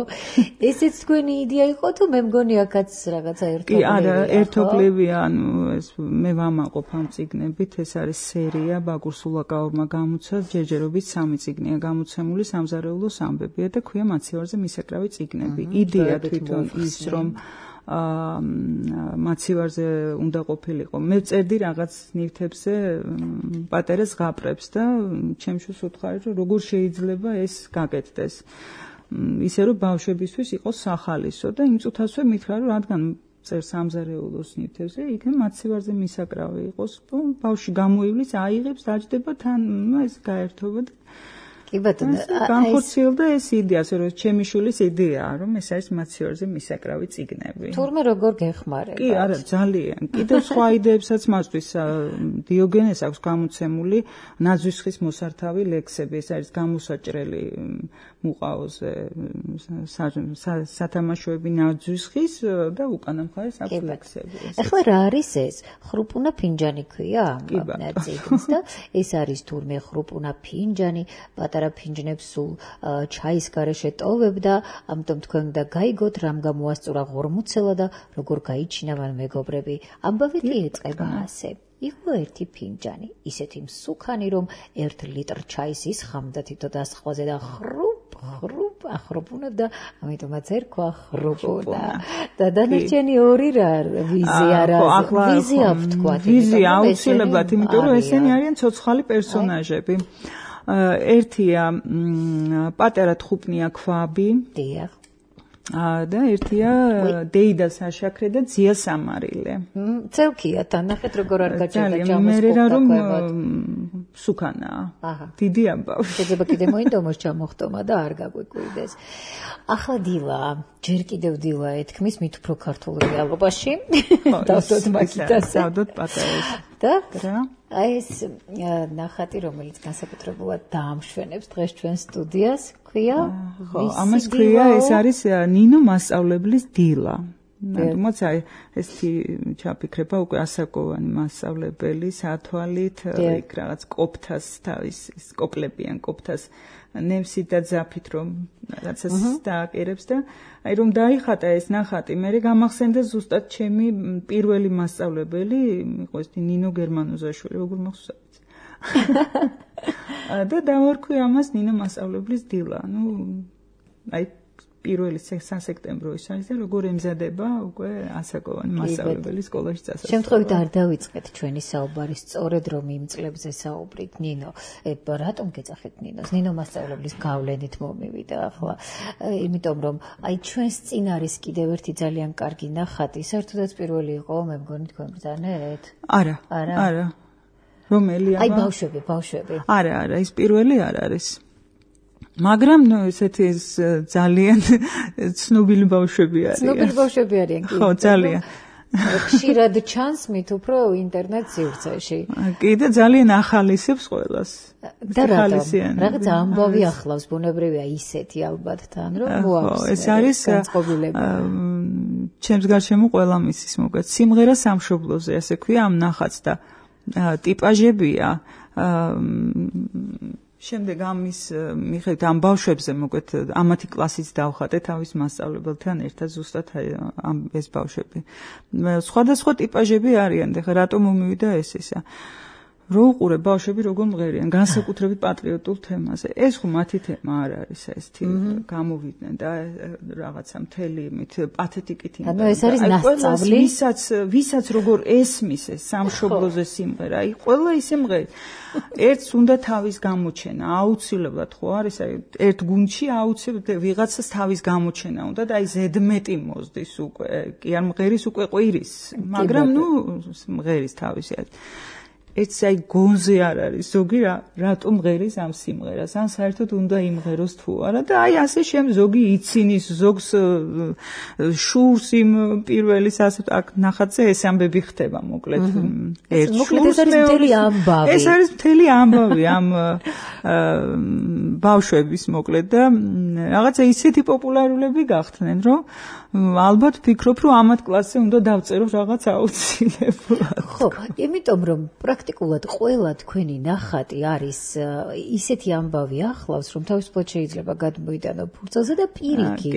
ესეც თქვენი იდეა იყო თუ მე მგონი აქაც რაღაცა ერთობლივია? კი, არა, ერთობლივია, ანუ ეს მე ვამაყობ ამ წიგნებით, ეს არის სერია ბაგურ სულაკაურმა გამოცა, ჯერჯერობით სამი წიგნია გამოცემული, სამზარეულოს ამბებია და ქვია მაცივარზე მისაკრავი წიგნები. იდეა თვითონ ის, რომ მაცივარზე უნდა ყოფილიყო. მე ვწერდი რაღაც ნივთებზე პატარა ზღაპრებს და ჩემშუს უთხარი, რომ როგორ შეიძლება ეს გაკეთდეს. ისე რომ ბავშვებისთვის იყოს სახალისო და იმ წუთასვე მითხრა, რომ რადგან წერ სამზარეულოს ნივთებზე, იქნებ მაცივარზე მისაკრავი იყოს, ბავშვი გამოივლის, აიღებს, დაჯდება თან, ეს გაერთობა და კი ბატონო, განხორციელდა ეს იდეა, რომ ჩემი შვილის იდეაა, რომ ეს არის მაცივარზე მისაკრავი წიგნები. თურმე როგორ გეხმარება? კი, არა, ძალიან. კიდევ სხვა იდეებსაც მასთვის დიოგენეს აქვს გამოცემული ნაძვისხის მოსართავი ლექსები, ეს არის გამოსაჭრელი მუყაოზე სათამაშოები ნაძვისხის და უკანა მხარეს აქვს ლექსები. ახლა რა არის ეს? ხრუპუნა ფინჯანი ქვია ამ წიგნს და ეს არის თურმე ხრუპუნა ფინჯანი, პატარა ფინჯნებს სულ ჩაის გარეშე ტოვებდა, ამიტომ თქვენ უნდა გაიგოთ, რამ გამოასწორა ღორმუცელა და როგორ გაიჩინავენ მეგობრები. ამბავი კი ეწყება ასე. იყო ერთი ფინჯანი, ისეთი მსუქანი, რომ ერთ ლიტრ ჩაის ისხამდა თითო დასხვაზე და ხრუპ ხრუპ ახროპუნებდა, ამიტომაც ერქვა ხრუპუნა. და დანარჩენი ორი რა ვიზი არა, ვიზი აქვს თქვა. ვიზი აუცილებლად, იმიტომ რომ ესენი არიან ცოცხალი პერსონაჟები. ერთია პატარა თხუპნია ქვაბი. დიახ. და ერთია დეიდა საშაქრე და ძია სამარილე. წელქია თან ნახეთ როგორ არ გაჭირდა ჯამოს. მე რა რომ სუქანაა. დიდი ამბავი. შეიძლება კიდე მოინდომოს ჩამოხტომა და არ გაგვიკვირდეს. ახლა დილა, ჯერ კიდევ დილა ეთქმის მით უფრო ქართულ რეალობაში. დავდოთ მაგიტას. დავდოთ პატარას. და აი ეს ნახატი, რომელიც განსაკუთრებულად დაამშვენებს დღეს ჩვენ სტუდიას, ქვია? ხო, ამას ქვია, ეს არის ნინო მასწავლებლის დილა. თუმცა აი ესეთი ჩაფიქრება უკვე ასაკოვანი მასწავლებელი სათვალით, იქ რაღაც კოპთას თავის კოპლებიან კოპთას ნემსით და ძაფით რომ რაღაცას დააკერებს და აი რომ დაიხატა ეს ნახატი, მე გამახსენდა ზუსტად ჩემი პირველი მასწავლებელი, იყო ეს ნინო გერმანოზაშვილი, როგორ მახსოვს. და დავარქვი ამას ნინო მასწავლებლის დილა. ნუ აი პირველი სასექტემბრო ის არის და როგორ ემზადება უკვე ასაკოვანი მასწავლებელი სკოლაში წასასვლელად. შემთხვევით არ დავიწყეთ ჩვენი საუბარი სწორედ რომ იმ წლებზე საუბრით ნინო. რატომ გეძახეთ ნინოს? ნინო მასწავლებლის გავლენით მომივიდა ახლა. იმიტომ რომ აი ჩვენს წინ არის კიდევ ერთი ძალიან კარგი ნახატი. საერთოდაც პირველი იყო, მე მგონი თქვენ ბრძანეთ? არა. არა. რომელი აბა? აი ბავშვები, ბავშვები. არა, არა, ის პირველი არ არის. მაგრამ ნუ ესეთი ძალიან ცნობილი ბავშვები არიან. ცნობილი ბავშვები არიან, კი. ხო, ძალიან. ხშირად ჩანს მით უფრო ინტერნეტ სივრცეში. კიდე ძალიან ახალისებს ყველას. და რატომ? რაღაც ამბავი ახლავს, ბუნებრივია ისეთი ალბათ თან, რომ მოაქვს. ეს არის ჩემს გარშემო ყველა მისის მოგეთ. სიმღერა სამშობლოზე, ასე ქვია ამ ნახატს და ტიპაჟებია. შემდეგ ამის მიხედვით ამ ბავშვებზე მოგეთ ამათი კლასიც დავხატე თავის მასწავლებელთან ერთად ზუსტად ამ ეს ბავშვები. სხვადასხვა ტიპაჟები არიან, და რატომ მომივიდა ეს ისა. რო უყურე ბავშვები როგორ მღერიან, განსაკუთრებით პატრიოტულ თემაზე. ეს ხო მათი თემა არ არის, ეს გამოვიდნენ და რაღაცა მთელი იმით პათეტიკით იმდა. ანუ ეს არის ნასწავლი, ვისაც ვისაც როგორ ესმის ეს სამშობლოზე სიმღერა, აი ყველა ისე მღერს. ერთს უნდა თავის გამოჩენა, აუცილებლად ხო არის, აი ერთ გუნდში აუცილებლად ვიღაცას თავის გამოჩენა უნდა და აი ზედმეტი მოსდის უკვე, კი არ მღერის უკვე ყვირის, მაგრამ ნუ მღერის თავისი. ეს აი გონზე არ არის ზოგი რატომ მღერის ამ სიმღერას, ან საერთოდ უნდა იმღეროს თუ არა და აი ასე შემ ზოგი იცინის, ზოგს შურს იმ პირველის ასე აქ ნახატზე ეს ამბები ხდება მოკლედ. ერთ შურს ეს არის მთელი ამბავი. ეს არის მთელი ამბავი ამ ბავშვების მოკლედ და რაღაცა ისეთი პოპულარულები გახდნენ, რომ ალბათ ფიქრობ, რომ ამათ კლასზე უნდა დავწერო რაღაც აუცილებლად. ხო, იმიტომ რომ პრაქტიკულად ყველა თქვენი ნახატი არის ისეთი ამბავი ახლავს, რომ თავისუფლად შეიძლება გადმოიტანო ფურცელზე და პირიქით,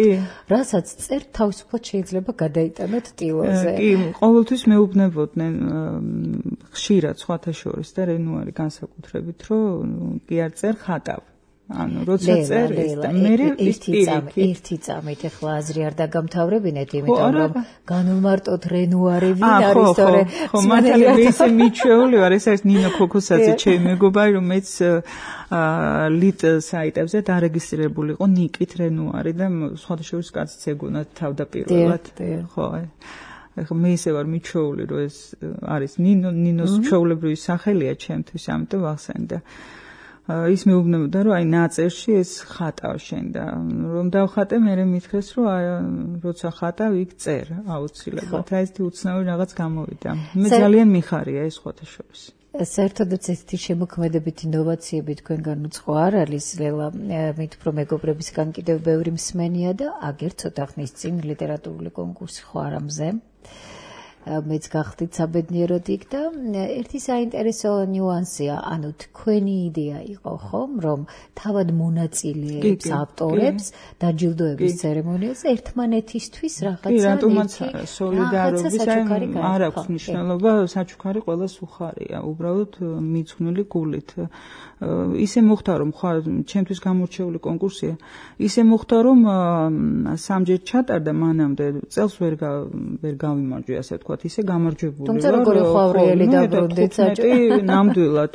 რასაც წერთ თავისუფლად შეიძლება გადაიტანოთ ტილოზე. კი, ყოველთვის მეუბნებოდნენ ხშირად სხვათა შორის და რენუარი განსაკუთრებით, რომ კი არ წერ ხატავ. ანუ როცა წერის და მე ერთი წამით ახლა აზრი არ დაგამთავრებინეთ, იმიტომ რომ განვმარტოთ რენუარი ვინ არის თორე ხო მართალია ისე მიჩვეული ვარ, ეს არის ნინო ქოქოსაძე ჩემი მეგობარი, რომ მეც ლიტ საიტებზე დარეგისტრირებული იყო ნიკით რენუარი და სხვათა შორის კაციც ეგონა თავდაპირველად. ხო ახლა მე ისე ვარ მიჩვეული, რომ ეს არის ნინო ნინოს ჩვეულებრივი სახელია ჩემთვის, ამიტომ ვახსენდა. ის მეუბნებოდა, რომ აი ნაწერში ეს ხატავ შენ და რომ დავხატე, მე მითხრეს, რომ აი როცა ხატავ, იქ წერ აუცილებლად. აი ეს უცნაური რაღაც გამოვიდა. მე ძალიან მიხარია ეს სხვათა შორის. საერთოდაც ესეთი შემოქმედებითი ინოვაციები თქვენგან უცხო არ არის, ლელა, მით უფრო მეგობრებისგან კიდევ ბევრი მსმენია და აგერ ცოტა ხნის წინ ლიტერატურული კონკურსი ხო არა მზე. მეც გახდით საბედნიეროდ იქ და ერთი საინტერესო ნიუანსია, ანუ თქვენი იდეა იყო ხომ, რომ თავად მონაწილეებს, ავტორებს დაჯილდოების ცერემონიაზე ერთმანეთისთვის რაღაცა კი, რატომაც სოლიდარობის არ აქვს მნიშვნელობა, საჩუქარი ყველას უხარია, უბრალოდ მიძღვნილი გულით. ისე მოხდა, რომ ხარ ჩემთვის გამორჩეული კონკურსია, ისე მოხდა, რომ სამჯერ ჩატარდა მანამდე, წელს ვერ ვერ გავიმარჯვე, ასე ვთქვათ, ისე გამარჯვებული ვარ. თუმცა როგორი ხვავრიელი დაბრუნდით საჭო. ნამდვილად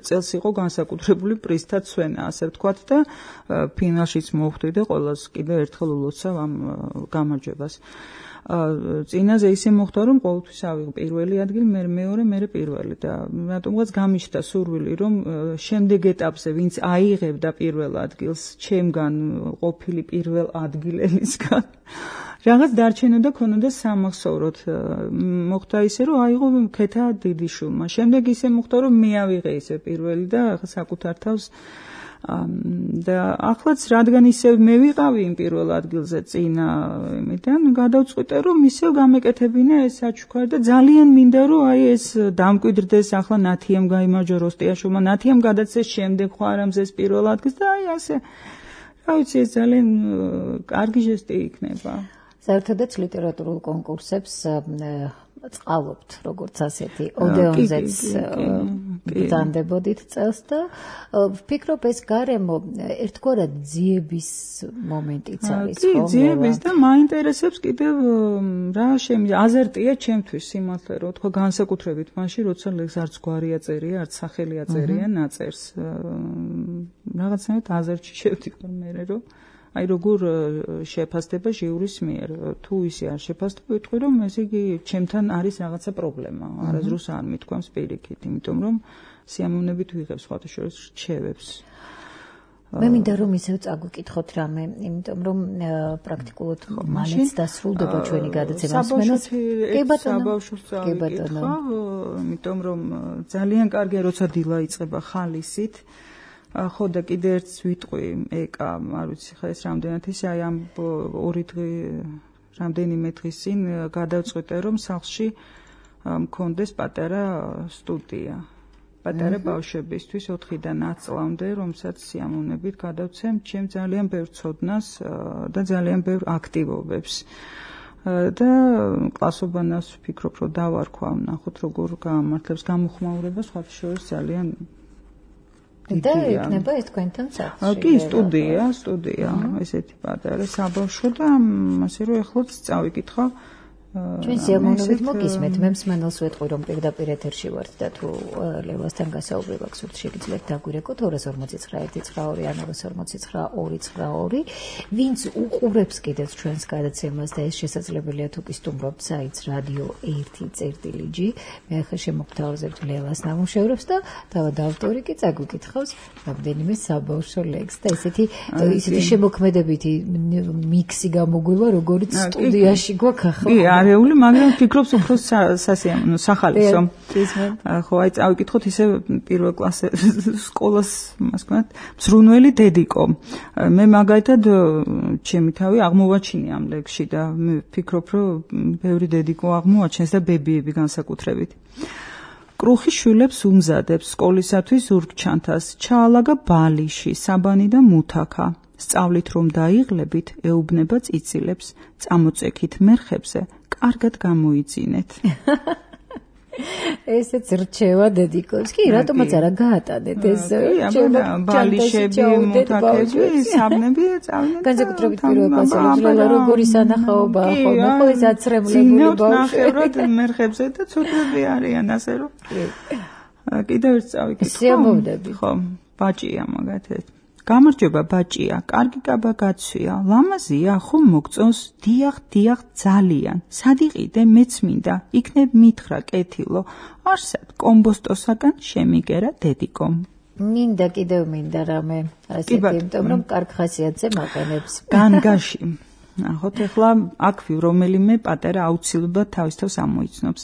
წელს იყო განსაკუთრებული პრიზთა ცვენა, ასე ვთქვათ და ფინალშიც მოვხვდი და ყველას კიდევ ერთხელ ულოცავ ამ გამარჯვებას. წინაზე ისე მოხდა, რომ ყოველთვის ავიღე პირველი ადგილი, მე მეორე, მე პირველი და რატომღაც გამიშთა სურვილი, რომ შემდეგ ეტაპზე ვინც აიღებდა პირველ ადგილს, ჩემგან ყოფილი პირველ ადგილელისგან რაღაც დარჩენოდა, ქონოდა სამახსოვროდ. მოხდა ისე, რომ აიღო ქეთა დიდიშვილმა. შემდეგ ისე მოხდა, რომ მე ავიღე ისე პირველი და საკუთარ თავს და ახლაც რადგან ისე მე ვიყავი იმ პირველ ადგილზე წინა იმიდან, გადავწყვიტე, რომ ისევ გამეკეთებინა ეს საჩუქარი და ძალიან მინდა, რომ აი ეს დამკვიდრდეს, ახლა ნათიამ გაიმარჯვა როსტიაშვილმა, ნათიამ გადაცეს შემდეგ ხო არ ამზეს პირველ ადგილს და აი ასე. რა ვიცი, ეს ძალიან კარგი ჟესტი იქნება. საერთოდაც ლიტერატურულ კონკურსებს წყალობთ, როგორც ასეთი ოდეონზეც ბრძანდებოდით წელს და ვფიქრობ ეს გარემო ერთგვარად ძიების მომენტიც არის, ხო? კი, ძიების და მაინტერესებს კიდევ რა შემი აზერტია ჩემთვის სიმართლე რომ თქვა განსაკუთრებით მაშინ როცა ლექს არც გვარი აწერია, არც სახელი აწერია ნაწერს. რაღაცნაირად აზერტში შევდივარ მე რომ აი როგორ შეფასდება ჟიურის მიერ, თუ ისე არ შეფასდება, ვიტყვი რომ ეს იგი ჩემთან არის რაღაცა პრობლემა, არასდროს არ მithქვამს პირიქით, იმიტომ რომ სიამოვნებით ვიღებ სხვათა შორის რჩევებს. მე მინდა რომ ისევ წაგვიკითხოთ რამე, იმიტომ რომ პრაქტიკულად მალეც დასრულდება ჩვენი გადაცემა. კი ბატონო. საბავშვოს წავიკითხავ, იმიტომ რომ ძალიან კარგია როცა დილა იწყება ხალისით. ხო და კიდე ერთს ვიტყვი ეკა, არ ვიცი ხა ეს რამდენად ისე აი ამ ორი დღე რამდენიმე დღის წინ გადავწყვიტე რომ სახლში მქონდეს პატარა სტუდია. პატარა ბავშვებისთვის ოთხიდან ათ წლამდე, რომელსაც სიამოვნებით გადავცემ ჩემ ძალიან ბევრ ცოდნას და ძალიან ბევრ აქტივობებს. და კლასობანას ვფიქრობ, რომ დავარქვა, ნახოთ როგორ გაამართლებს გამოხმაურება სხვათა შორის ძალიან და იქნება ეს თქვენთან სახლში. კი, სტუდია, სტუდია, ესეთი პატარა საბავშვო და ასე რომ ეხლაც წავიკითხავ ჩვენ სიამოვნებით მოგისმენთ, მე მსმენელს ვეთყვი რომ პირდაპირ ეთერში ვართ და თუ ლევასთან გასაუბრება გსურთ შეგიძლიათ დაგვირეკოთ ორი ორმოცი ცხრა ერთი ცხრა ორი ან ორი ორმოცი ცხრა ორი ცხრა ორი. ვინც უყურებს კიდევ ჩვენს გადაცემას და ეს შესაძლებელია თუ კი სტუმრობთ საიტს რადიო ერთი წერტილი ჯი, მე ახლა შემოგთავაზებთ ლევას ნამუშევრებს და თავად ავტორი კი წაგვიკითხავს რამდენიმე საბავშვო ლექსს და ესეთი ისეთი შემოქმედებითი მიქსი გამოგვივა, როგორც სტუდიაში გვაქვს ახლა. არეული, მაგრამ ვფიქრობ უფრო სასიამოვნო, სახალისო. ხო, აი წავიკითხოთ ისე პირველ კლასზე სკოლას, მას ვქონათ, მზრუნველი დედიკო. მე მაგალითად ჩემი თავი აღმოვაჩინე ამ ლექსში და მე ვფიქრობ, რომ ბევრი დედიკო აღმოაჩენს და ბებიები განსაკუთრებით. კრუხი შვილებს უმზადებს სკოლისათვის ზურგჩანთას, ჩაალაგა ბალიში, საბანი და მუთაქა. სწავლით რომ დაიღლებით, ეუბნება წიცილებს, წამოწექით მერხებზე, კარგად გამოიძინეთ. ესეც რჩევა დედიკოს. კი, რატომაც არა გაატანეთ ეს რჩევა ბალიშები, მუთაქები, საბნები წავიდეთ. განსაკუთრებით პირველ კლასელებს როგორი სანახაობაა ხოლმე, ხო ეს აცრემლებული ბავშვები მერხებზე და ცუდები არიან, ასე რომ. კიდევ ერთ წავიკითხო. სიამოვნები. ხო, ბაჭია მაგათეთ. გამარჯობა ბაჭია, კარგი კაბა გაცვია, ლამაზია, ხომ მოგწონს, დიახ, დიახ, ძალიან. სად იყიდე, მეც მინდა, იქნებ მითხრა კეთილო, არსად, კომბოსტოსაგან შემიგერა დედიკომ. მინდა კიდევ მინდა რამე, ასეთი, იმიტომ რომ კარგ ხასიათზე მაყენებს. განგაში. ნახოთ, ახლა აქვე რომელიმე პატარა აუცილებლად თავის თავს ამოიცნობს.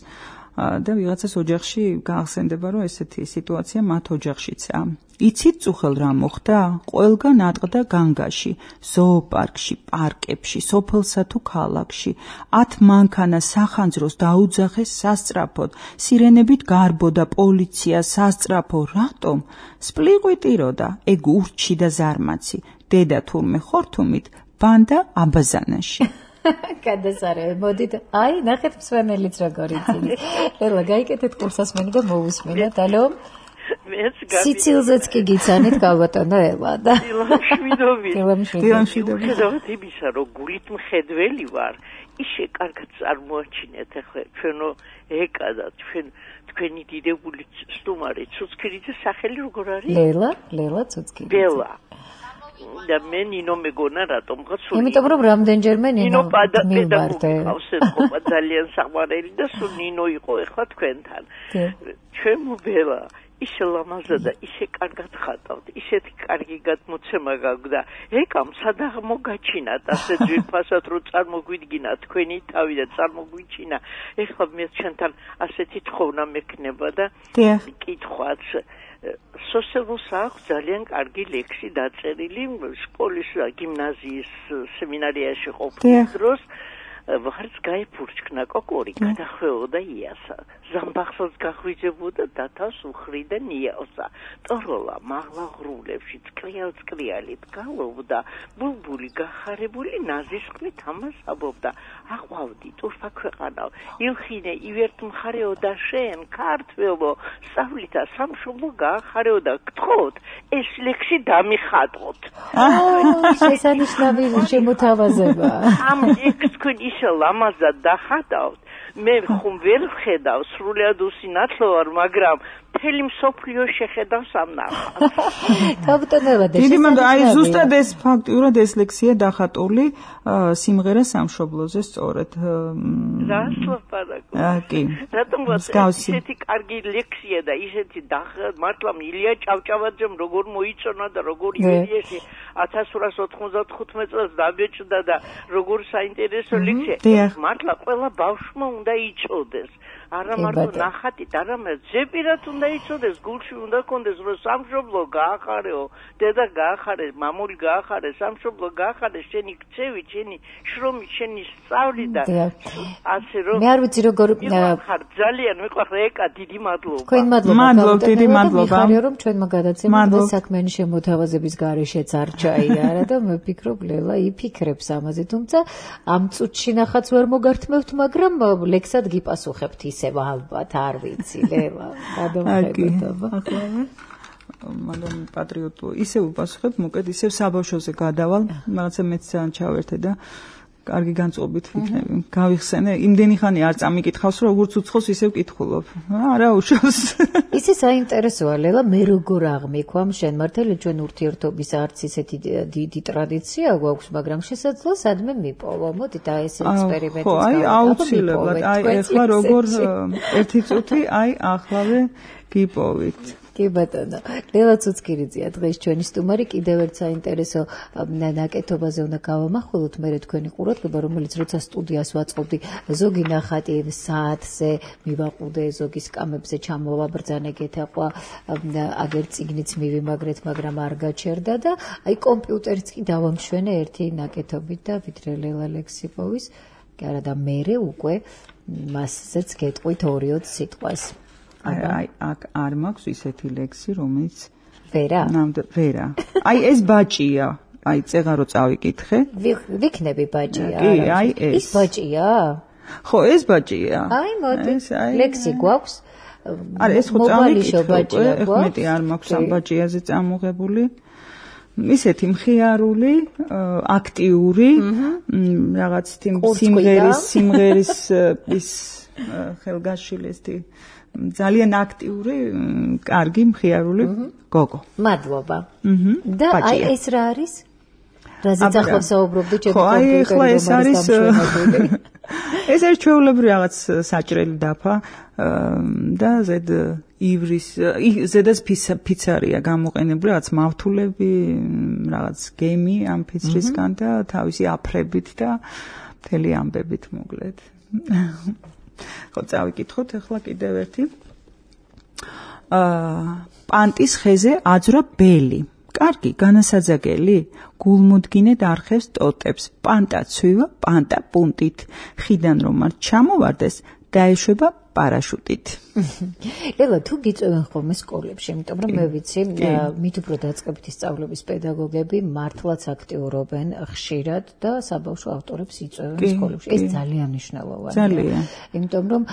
და ვიღაცას ოჯახში გაახსენდება, რომ ესეთი სიტუაცია მათ ოჯახშიცაა. იცით წუხელ რა მოხდა? ყველგან ატყდა განგაში, ზოოპარკში, პარკებში, სოფელსა თუ ქალაქში. ათ მანქანა სახანძროს დაუძახეს სასწრაფოდ, სირენებით გარბოდა პოლიცია სასწრაფო. რატომ? სპლიყვიტიროდა, ეგ ურჩი და ზარმაცი. დედა თურმე ხორთუმით, ბანდა აბაზანაში. გადასარევი, მოდით, აი, ნახეთ მსმენელიც როგორ იცინი. ელა, გაიკეთეთ კურსასმენი და მოусმინოთ, ალო? მეც გაბი. სიცილზეც კი გიცანით, გალბატონო ელა და. დილამშვიდობით. დილამშვიდობით. ხედავთ იმისა, რომ გულით მხედველი ვარ, ისე კარგად წარმოაჩინეთ ახლა ჩვენო ეკა და ჩვენ თქვენი დიდებული სტუმარი ცუცქირიძე სახელი როგორ არის? ლელა, ლელა ცუცქირიძე. ბელა. და მე ნინო მეგონა რატომღაც სულ იმიტომ რომ რამდენჯერმე ნინო მივარდე ავსეთყობა ძალიან საყვარელი და სულ ნინო იყო ეხლა თქვენთან ჩემო ბელა ისე ლამაზა და ისე კარგად ხატავთ ისეთი კარგი გადმოცემა გაგვდა ეკამ სადაღ მოგაჩინათ ასე ძვირფასად რომ წარმოგვიდგინა თქვენი თავი და წარმოგვიჩინა ეხლა მე ჩვენთან ასეთი თხოვნა მექნება და კითხვაც სოციალურს აქვს ძალიან კარგი ლექსი დაწერილი სკოლის გიმნაზიის სემინარიაში ყოფნის დროს ვახარც გაიფურჩქნა კოკორი გადახვეოდა იასა ზამბახსაც გახვიძებოდა და თავს უხრიდა ნიავსა ტოროლა მაღლა ღრულებში წკრიალ წკრიალით გალობდა ბულბული გახარებული ნაზისყლით ამას აბობდა აყვავდი ტურფა ქვეყანავ ილხინე ივერთ მხარეოდა შენ ქართველო სწავლითა სამშობლო გაახარეოდა გთხოვთ ეს ლექსი დამიხატოთ აა შესანიშნავი შემოთავაზება ამ ლექსს თქვენ ისე ლამაზად დახატავთ მე ხომ ვერ ვხედავ სრულად usinatlო ვარ მაგრამ მთელი მსოფლიო შეხედავს ამ ნახატს. თავტონება და დიდი მანდ აი ზუსტად ეს ფაქტიურად ეს ლექსია დახატული სიმღერა სამშობლოზე სწორედ. რა სლაპარაკო. კი. რატომ ისეთი კარგი ლექსია და ისეთი მართლა ილია ჭავჭავაძემ როგორ მოიწონა და როგორ ილიაში ათას ორას ოთხმოცდათხუთმეტ წელს დაბეჭდა და როგორ საინტერესო ლექსია. მართლა ყველა ბავშვმა უნდა იცოდეს. არა მარტო ნახატით, არამედ ზეპირად უნდა იცოდეს, გულში უნდა კონდეს, რომ სამშობლო გაახარეო, დედა გაახარე, მამული გაახარე, სამშობლო გაახარე, შენი ქცევი, შენი შრომი, შენი სწავლი და ასე რომ მე არ ვიცი როგორ ხარ ძალიან მიყვარს ეკა, დიდი მადლობა. თქვენ მადლობა. მადლობა, დიდი მადლობა. მიხარია რომ ჩვენმა გადაცემა და საქმიანი შემოთავაზების გარეშეც არ ჩაიარა და მე ვფიქრობ ლელა იფიქრებს ამაზე, თუმცა ამ წუთში ნახაც ვერ მოგართმევთ, მაგრამ ლექსად გიპასუხებთ ის ალბათ არ ვიცი ლელა გადამხებოდება ახლა მაგრამ პატრიოტულ ისევ უპასუხებ მოკეთ ისევ საბავშვოზე გადავალ რაღაცა მეც ძალიან ჩავერთე და კარგი განწყობით ვიქნები გავიხსენე იმდენი ხანი არ წამიკითხავს რომ როგორც უცხოს ისევ კითხულობ არა უშავს ისე საინტერესოა ლელა მე როგორ აღმიქვამ შენ მართალი ჩვენ ურთიერთობის არც ისეთი დიდი ტრადიცია გვაქვს მაგრამ შესაძლოა სადმე მიპოვა მოდი და ეს ექსპერიმენტი ხო აი აუცილებლად აი ეხლა როგორ ერთი წუთი აი ახლავე გიპოვით კი ბატონო ლელა ცუცკირიძეა დღეს ჩვენი სტუმარი კიდევ ერთ საინტერესო ნაკეთობაზე უნდა გავამახვილოთ მე თქვენი ყურადღება რომელიც როცა სტუდიას ვაწყობდი ზოგი ნახატი საათზე მივაყუდე ზოგი სკამებზე ჩამოვაბრძანე გეთაყვა აგერ წიგნიც მივიმაგრეთ მაგრამ არ გაჩერდა და აი კომპიუტერიც კი დავამშვენე ერთი ნაკეთობით და ვიდრე ლელა ლექსიპოვის კი არა და მერე უკვე მასზეც გეტყვით ორი-ოც სიტყვას აი აქ არ მაქვს ისეთი ლექსი რომელიც ვერა ნამდვილ ვერა აი ეს ბაჭია აი წეღა რო წავიკითხე ვიქნები ბაჭია კი აი ეს ის ბაჭია ხო ეს ბაჭია აი მოდი ლექსი გვაქვს არა ეს ხო წავიკითხე ეხმეტი არ მაქვს ამ ბაჭიაზე წამოღებული ისეთი მხიარული აქტიური რაღაც სიმღერის სიმღერის ის ხელგაშილესტი ძალიან აქტიური, კარგი, მხიარული გოგო. მადლობა. და აი ეს რა არის? რაზეც ახლა საუბრობდი ჩემი კომპიუტერი ხო, აი ეს არის ეს არის ჩვეულებრივი რაღაც საჭრელი დაფა და ზედ ივრის ზედაც ფიცარია გამოყენებული რაღაც მავთულები, რაღაც გემი ამ ფიცრისგან და თავისი აფრებით და მთელი ამბებით მოკლედ. ხო წავიკითხოთ ახლა კიდევ ერთი აა პანტის ხეზე აძვრა ბელი კარგი განასაძაგელი გულმოდგინედ არხევს ტოტებს პანტა ცვივა პანტა პუნტით ხიდან რომ არ ჩამოვარდეს დაეშვება პარაშუტით ლელა თუ გიწევენ ხოლმე სკოლებში იმიტომ რომ მე ვიცი მით უფრო დაწყებითი სწავლების პედაგოგები მართლაც აქტიურობენ ხშირად და საბავშვო ავტორებს იწევენ სკოლებში ეს ძალიან მნიშვნელოვანია იმიტომ რომ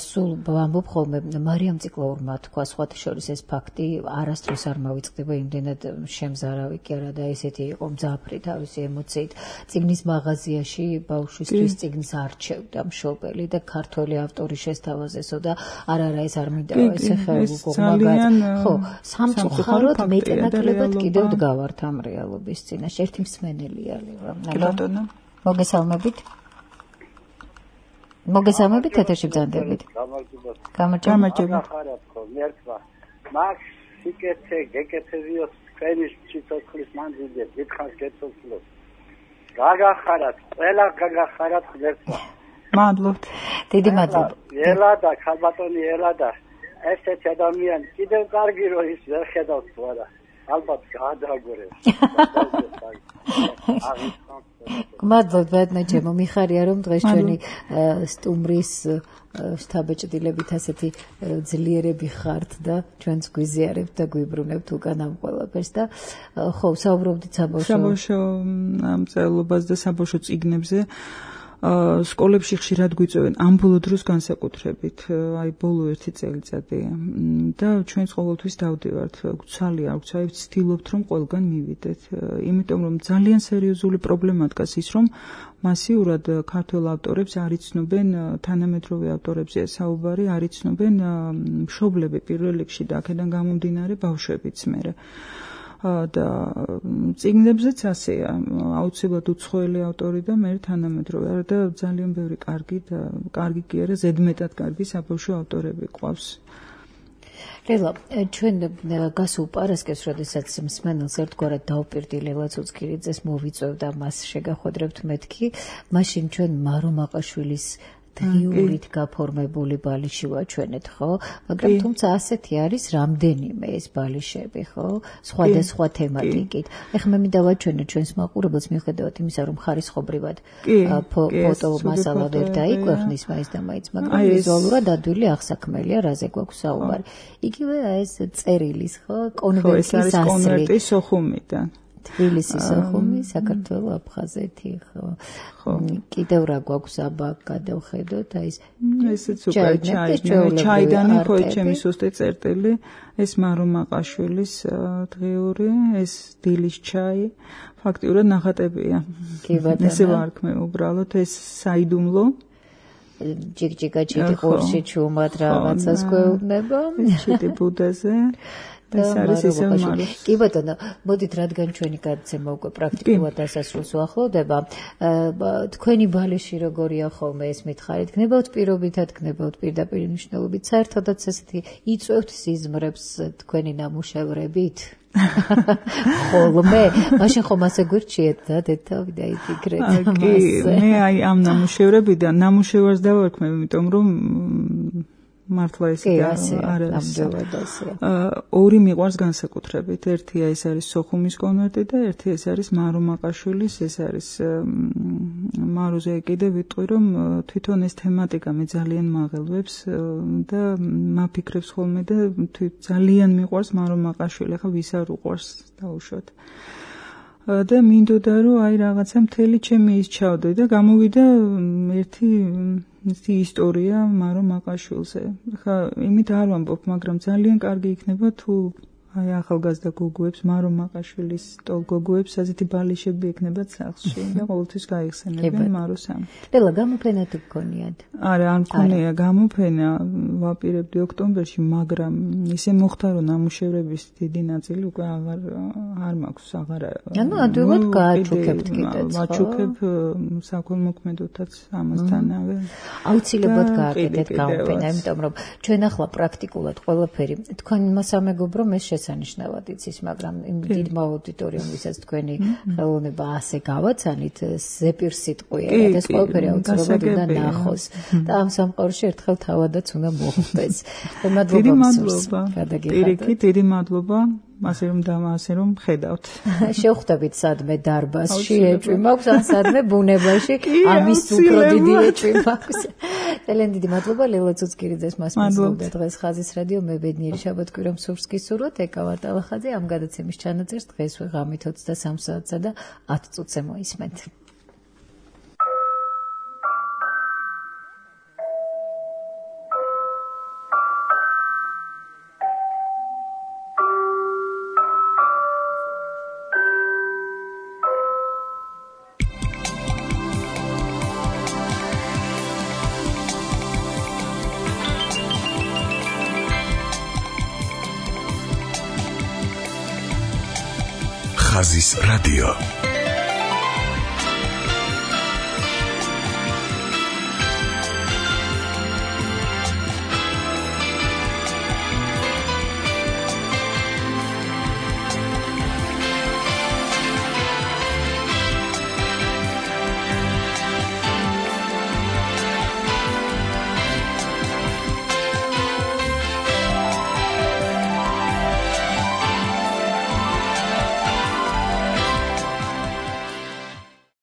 სულ ვამბობ ხოლმე მარიამ ციკლაურმა თქვა სხვათა შორის ეს ფაქტი არასდროს არ მოვიწყდება იმდენად შემზარავი კი არა და ესეთი იყო მძაფრი თავისი ემოციით წიგნის მაღაზიაში ბავშვისთვის წიგნს არჩევდა მშობელი და ქართველი ავტორი შესთავაზესო და არა არა ეს არ მინდა ესე ხეულ გოგმაგად ხო სამწუხაროდ მეტნაკლებად კიდევ დგავართ ამ რეალობის წინაშე ერთი მსმენელია ლელა ბატონო მოგესალმებით მოგესალმებით ეთერში ბრძანდებით გამარჯობა მერქვა მაქ სიკეთე გეკეთებიოს ქენის ციტოცხლის მანძილზე დიდხანს გეცოცხლოს გაგახარათ ყველა გაგახარათ ღმერთმა მადლობთ დიდი მადლობა ელა და ხალბატონი ელა და ესეთი ადამიანი კიდევ კარგი რო ის ვერ ხედავს თუ არა ალბათ გაადაგორებს მადლობთ ბატონო ჩემო მიხარია რომ დღეს ჩვენი სტუმრის შთაბეჭდილებით ასეთი ძლიერები ხართ და ჩვენს გვიზიარებთ და გვიბრუნებთ უკან ამ ყველაფერს და ხო საუბრობდით საბავშვო საბავშვო მწერლობაზე და საბავშვო წიგნებზე სკოლებში ხშირად გვიწევენ ამბოლო დროს განსაკუთრებით, აი ბოლო ერთი წელიწადი და ჩვენც ყოველთვის დავდივართ, გვცალია, გვცალია, ვცდილობთ რომ ყველგან მივიდეთ, იმიტომ რომ ძალიან სერიოზული პრობლემა დგას ის, რომ მასიურად ქართველ ავტორებს არ იცნობენ, თანამედროვე ავტორებზეა საუბარი, არ იცნობენ მშობლები პირველ რიგში და აქედან გამომდინარე ბავშვებიც მერე. და წიგნებზეც ასეა, აუცილებლად უცხოელი ავტორი და მე თანამედროვე და ძალიან ბევრი კარგი და კარგი კი არა, ზედმეტად კარგი საბავშვო ავტორები ყავს. ლელა, ჩვენ გასულ პარასკევს, როდესაც მსმენელს ერთგვარად დავპირდი ლელა ცუცქირიძეს, მოვიწევდა მას შეგახვედრებთ მეთქი, მაშინ ჩვენ მარო მაყაშვილის დღიურით გაფორმებული ბალიში ვაჩვენეთ, ხო? მაგრამ თუმცა ასეთი არის რამდენიმე ეს ბალიშები, ხო? სხვადასხვა თემატიკით. ეხლა მე მინდა ვაჩვენო ჩვენს მაყურებელს მიუხედავად იმისა, რომ ხარისხობრივად ფოტო მასალა ვერ დაიქვეყნის მაინც და მაინც, მაგრამ ვიზუალურად ადვილი აღსაქმელია, რაზე გვაქვს საუბარი. იგივე ეს წერილის, ხო? კონვერტის ასლი. ეს არის კონვერტი სოხუმიდან. თბილისის სოხუმი, საქართველოს აფხაზეთი, ხო. კიდევ რა გვაქვს აბა გადავხედოთ, აი ეს ესეც უკვე ჩაი, ჩაიდანი ხო ჩემი სუსტი წერტილი, ეს მარო მაყაშვილის დღიური, ეს დილის ჩაი, ფაქტიურად ნახატებია. კი ბატონო. ესე ვარქმე უბრალოდ ეს საიდუმლო ჯიგჯიგა ჩიტი ყურში ჩუმად რაღაცას გვეუბნება. ჩიტი ბუდაზე. ეს არის ისე მარო. კი ბატონო, მოდით რადგან ჩვენი გადაცემა უკვე პრაქტიკულად დასასრულს უახლოვდება, თქვენი ბალიში როგორია ხოლმე ეს მითხარით, გნებავთ პირობითად, გნებავთ პირდაპირ მნიშვნელობით, საერთოდაც ესეთი იწვევთ სიზმრებს თქვენი ნამუშევრებით? ხოლმე, მაშინ ხომ ასე გვირჩიეთ და დეთავი დაიფიქრეთ ამაზე. მე აი ამ ნამუშევრებიდან ნამუშევარს დავარქმევ, იმიტომ რომ მართლა ესე არ არის. ორი მიყვარს განსაკუთრებით. ერთია ეს არის სოხუმის კონვერტი და ერთი ეს არის მარო მაყაშვილის, ეს არის მაროზე კიდე ვიტყვი რომ თვითონ ეს თემატიკა მე ძალიან მაღელვებს და მაფიქრებს ხოლმე და ძალიან მიყვარს მარო მაყაშვილი. ახლა ვის არ უყვარს დაუშვათ. და მინდოდა რომ აი რაღაცა მთელი ჩემი ის ჩავდე და გამოვიდა ერთი ისეთი ისტორია მარო მაყაშვილზე. ხა იმით არ ვამბობ, მაგრამ ძალიან კარგი იქნება თუ აი ახალგაზრდა გოგოებს, მარო მაყაშვილის ტოლ გოგოებს ასეთი ბალიშები ექნებათ სახლში და ყოველთვის გაიხსენებენ მაროს ამ. ლელა, გამოფენა თუ გქონიათ? არა, არ მქონია გამოფენა, ვაპირებდი ოქტომბერში, მაგრამ ისე მოხდა რომ ნამუშევრების დიდი ნაწილი უკვე აღარ არ მაქვს, აღარ. ანუ ადვილად გააჩუქებთ კიდეც, ხო? ვაჩუქებ საქველმოქმედოთაც ამასთანავე. აუცილებლად გააკეთეთ გამოფენა, იმიტომ რომ ჩვენ ახლა პრაქტიკულად ყველაფერი თქვენმა სამეგობრომ ეს შესანიშნავად იცის, მაგრამ იმ დიდმა აუდიტორიუმისაც თქვენი ხელოვნება ასე გავაცანით, ზეპირ სიტყვია და ეს ყველაფერი აუცილებლად უნდა ნახოს. და ამ სამყაროში ერთხელ თავადაც უნდა მოხდეს. დიდი მადლობა. პირიქით, დიდი მადლობა. ასე რომ და ასე რომ ხედავთ. შევხვდებით სადმე დარბაზში, ეჭვი მაქვს, ან სადმე ბუნებაში, ამის უფრო დიდი ეჭვი მაქვს. ძალიან დიდი მადლობა ლელა ცუცქირიძეს მას მოსწევდა დღეს ხაზის რადიო, მე ბედნიერი შაბათ-კვირა მსურს გისურვოთ, ეკა ვარტალახაძე, ამ გადაცემის ჩანაწერს დღეს ვეღამით ოცდასამ საათსა და ათ წუთზე მოისმენთ. ხაზის რადიო.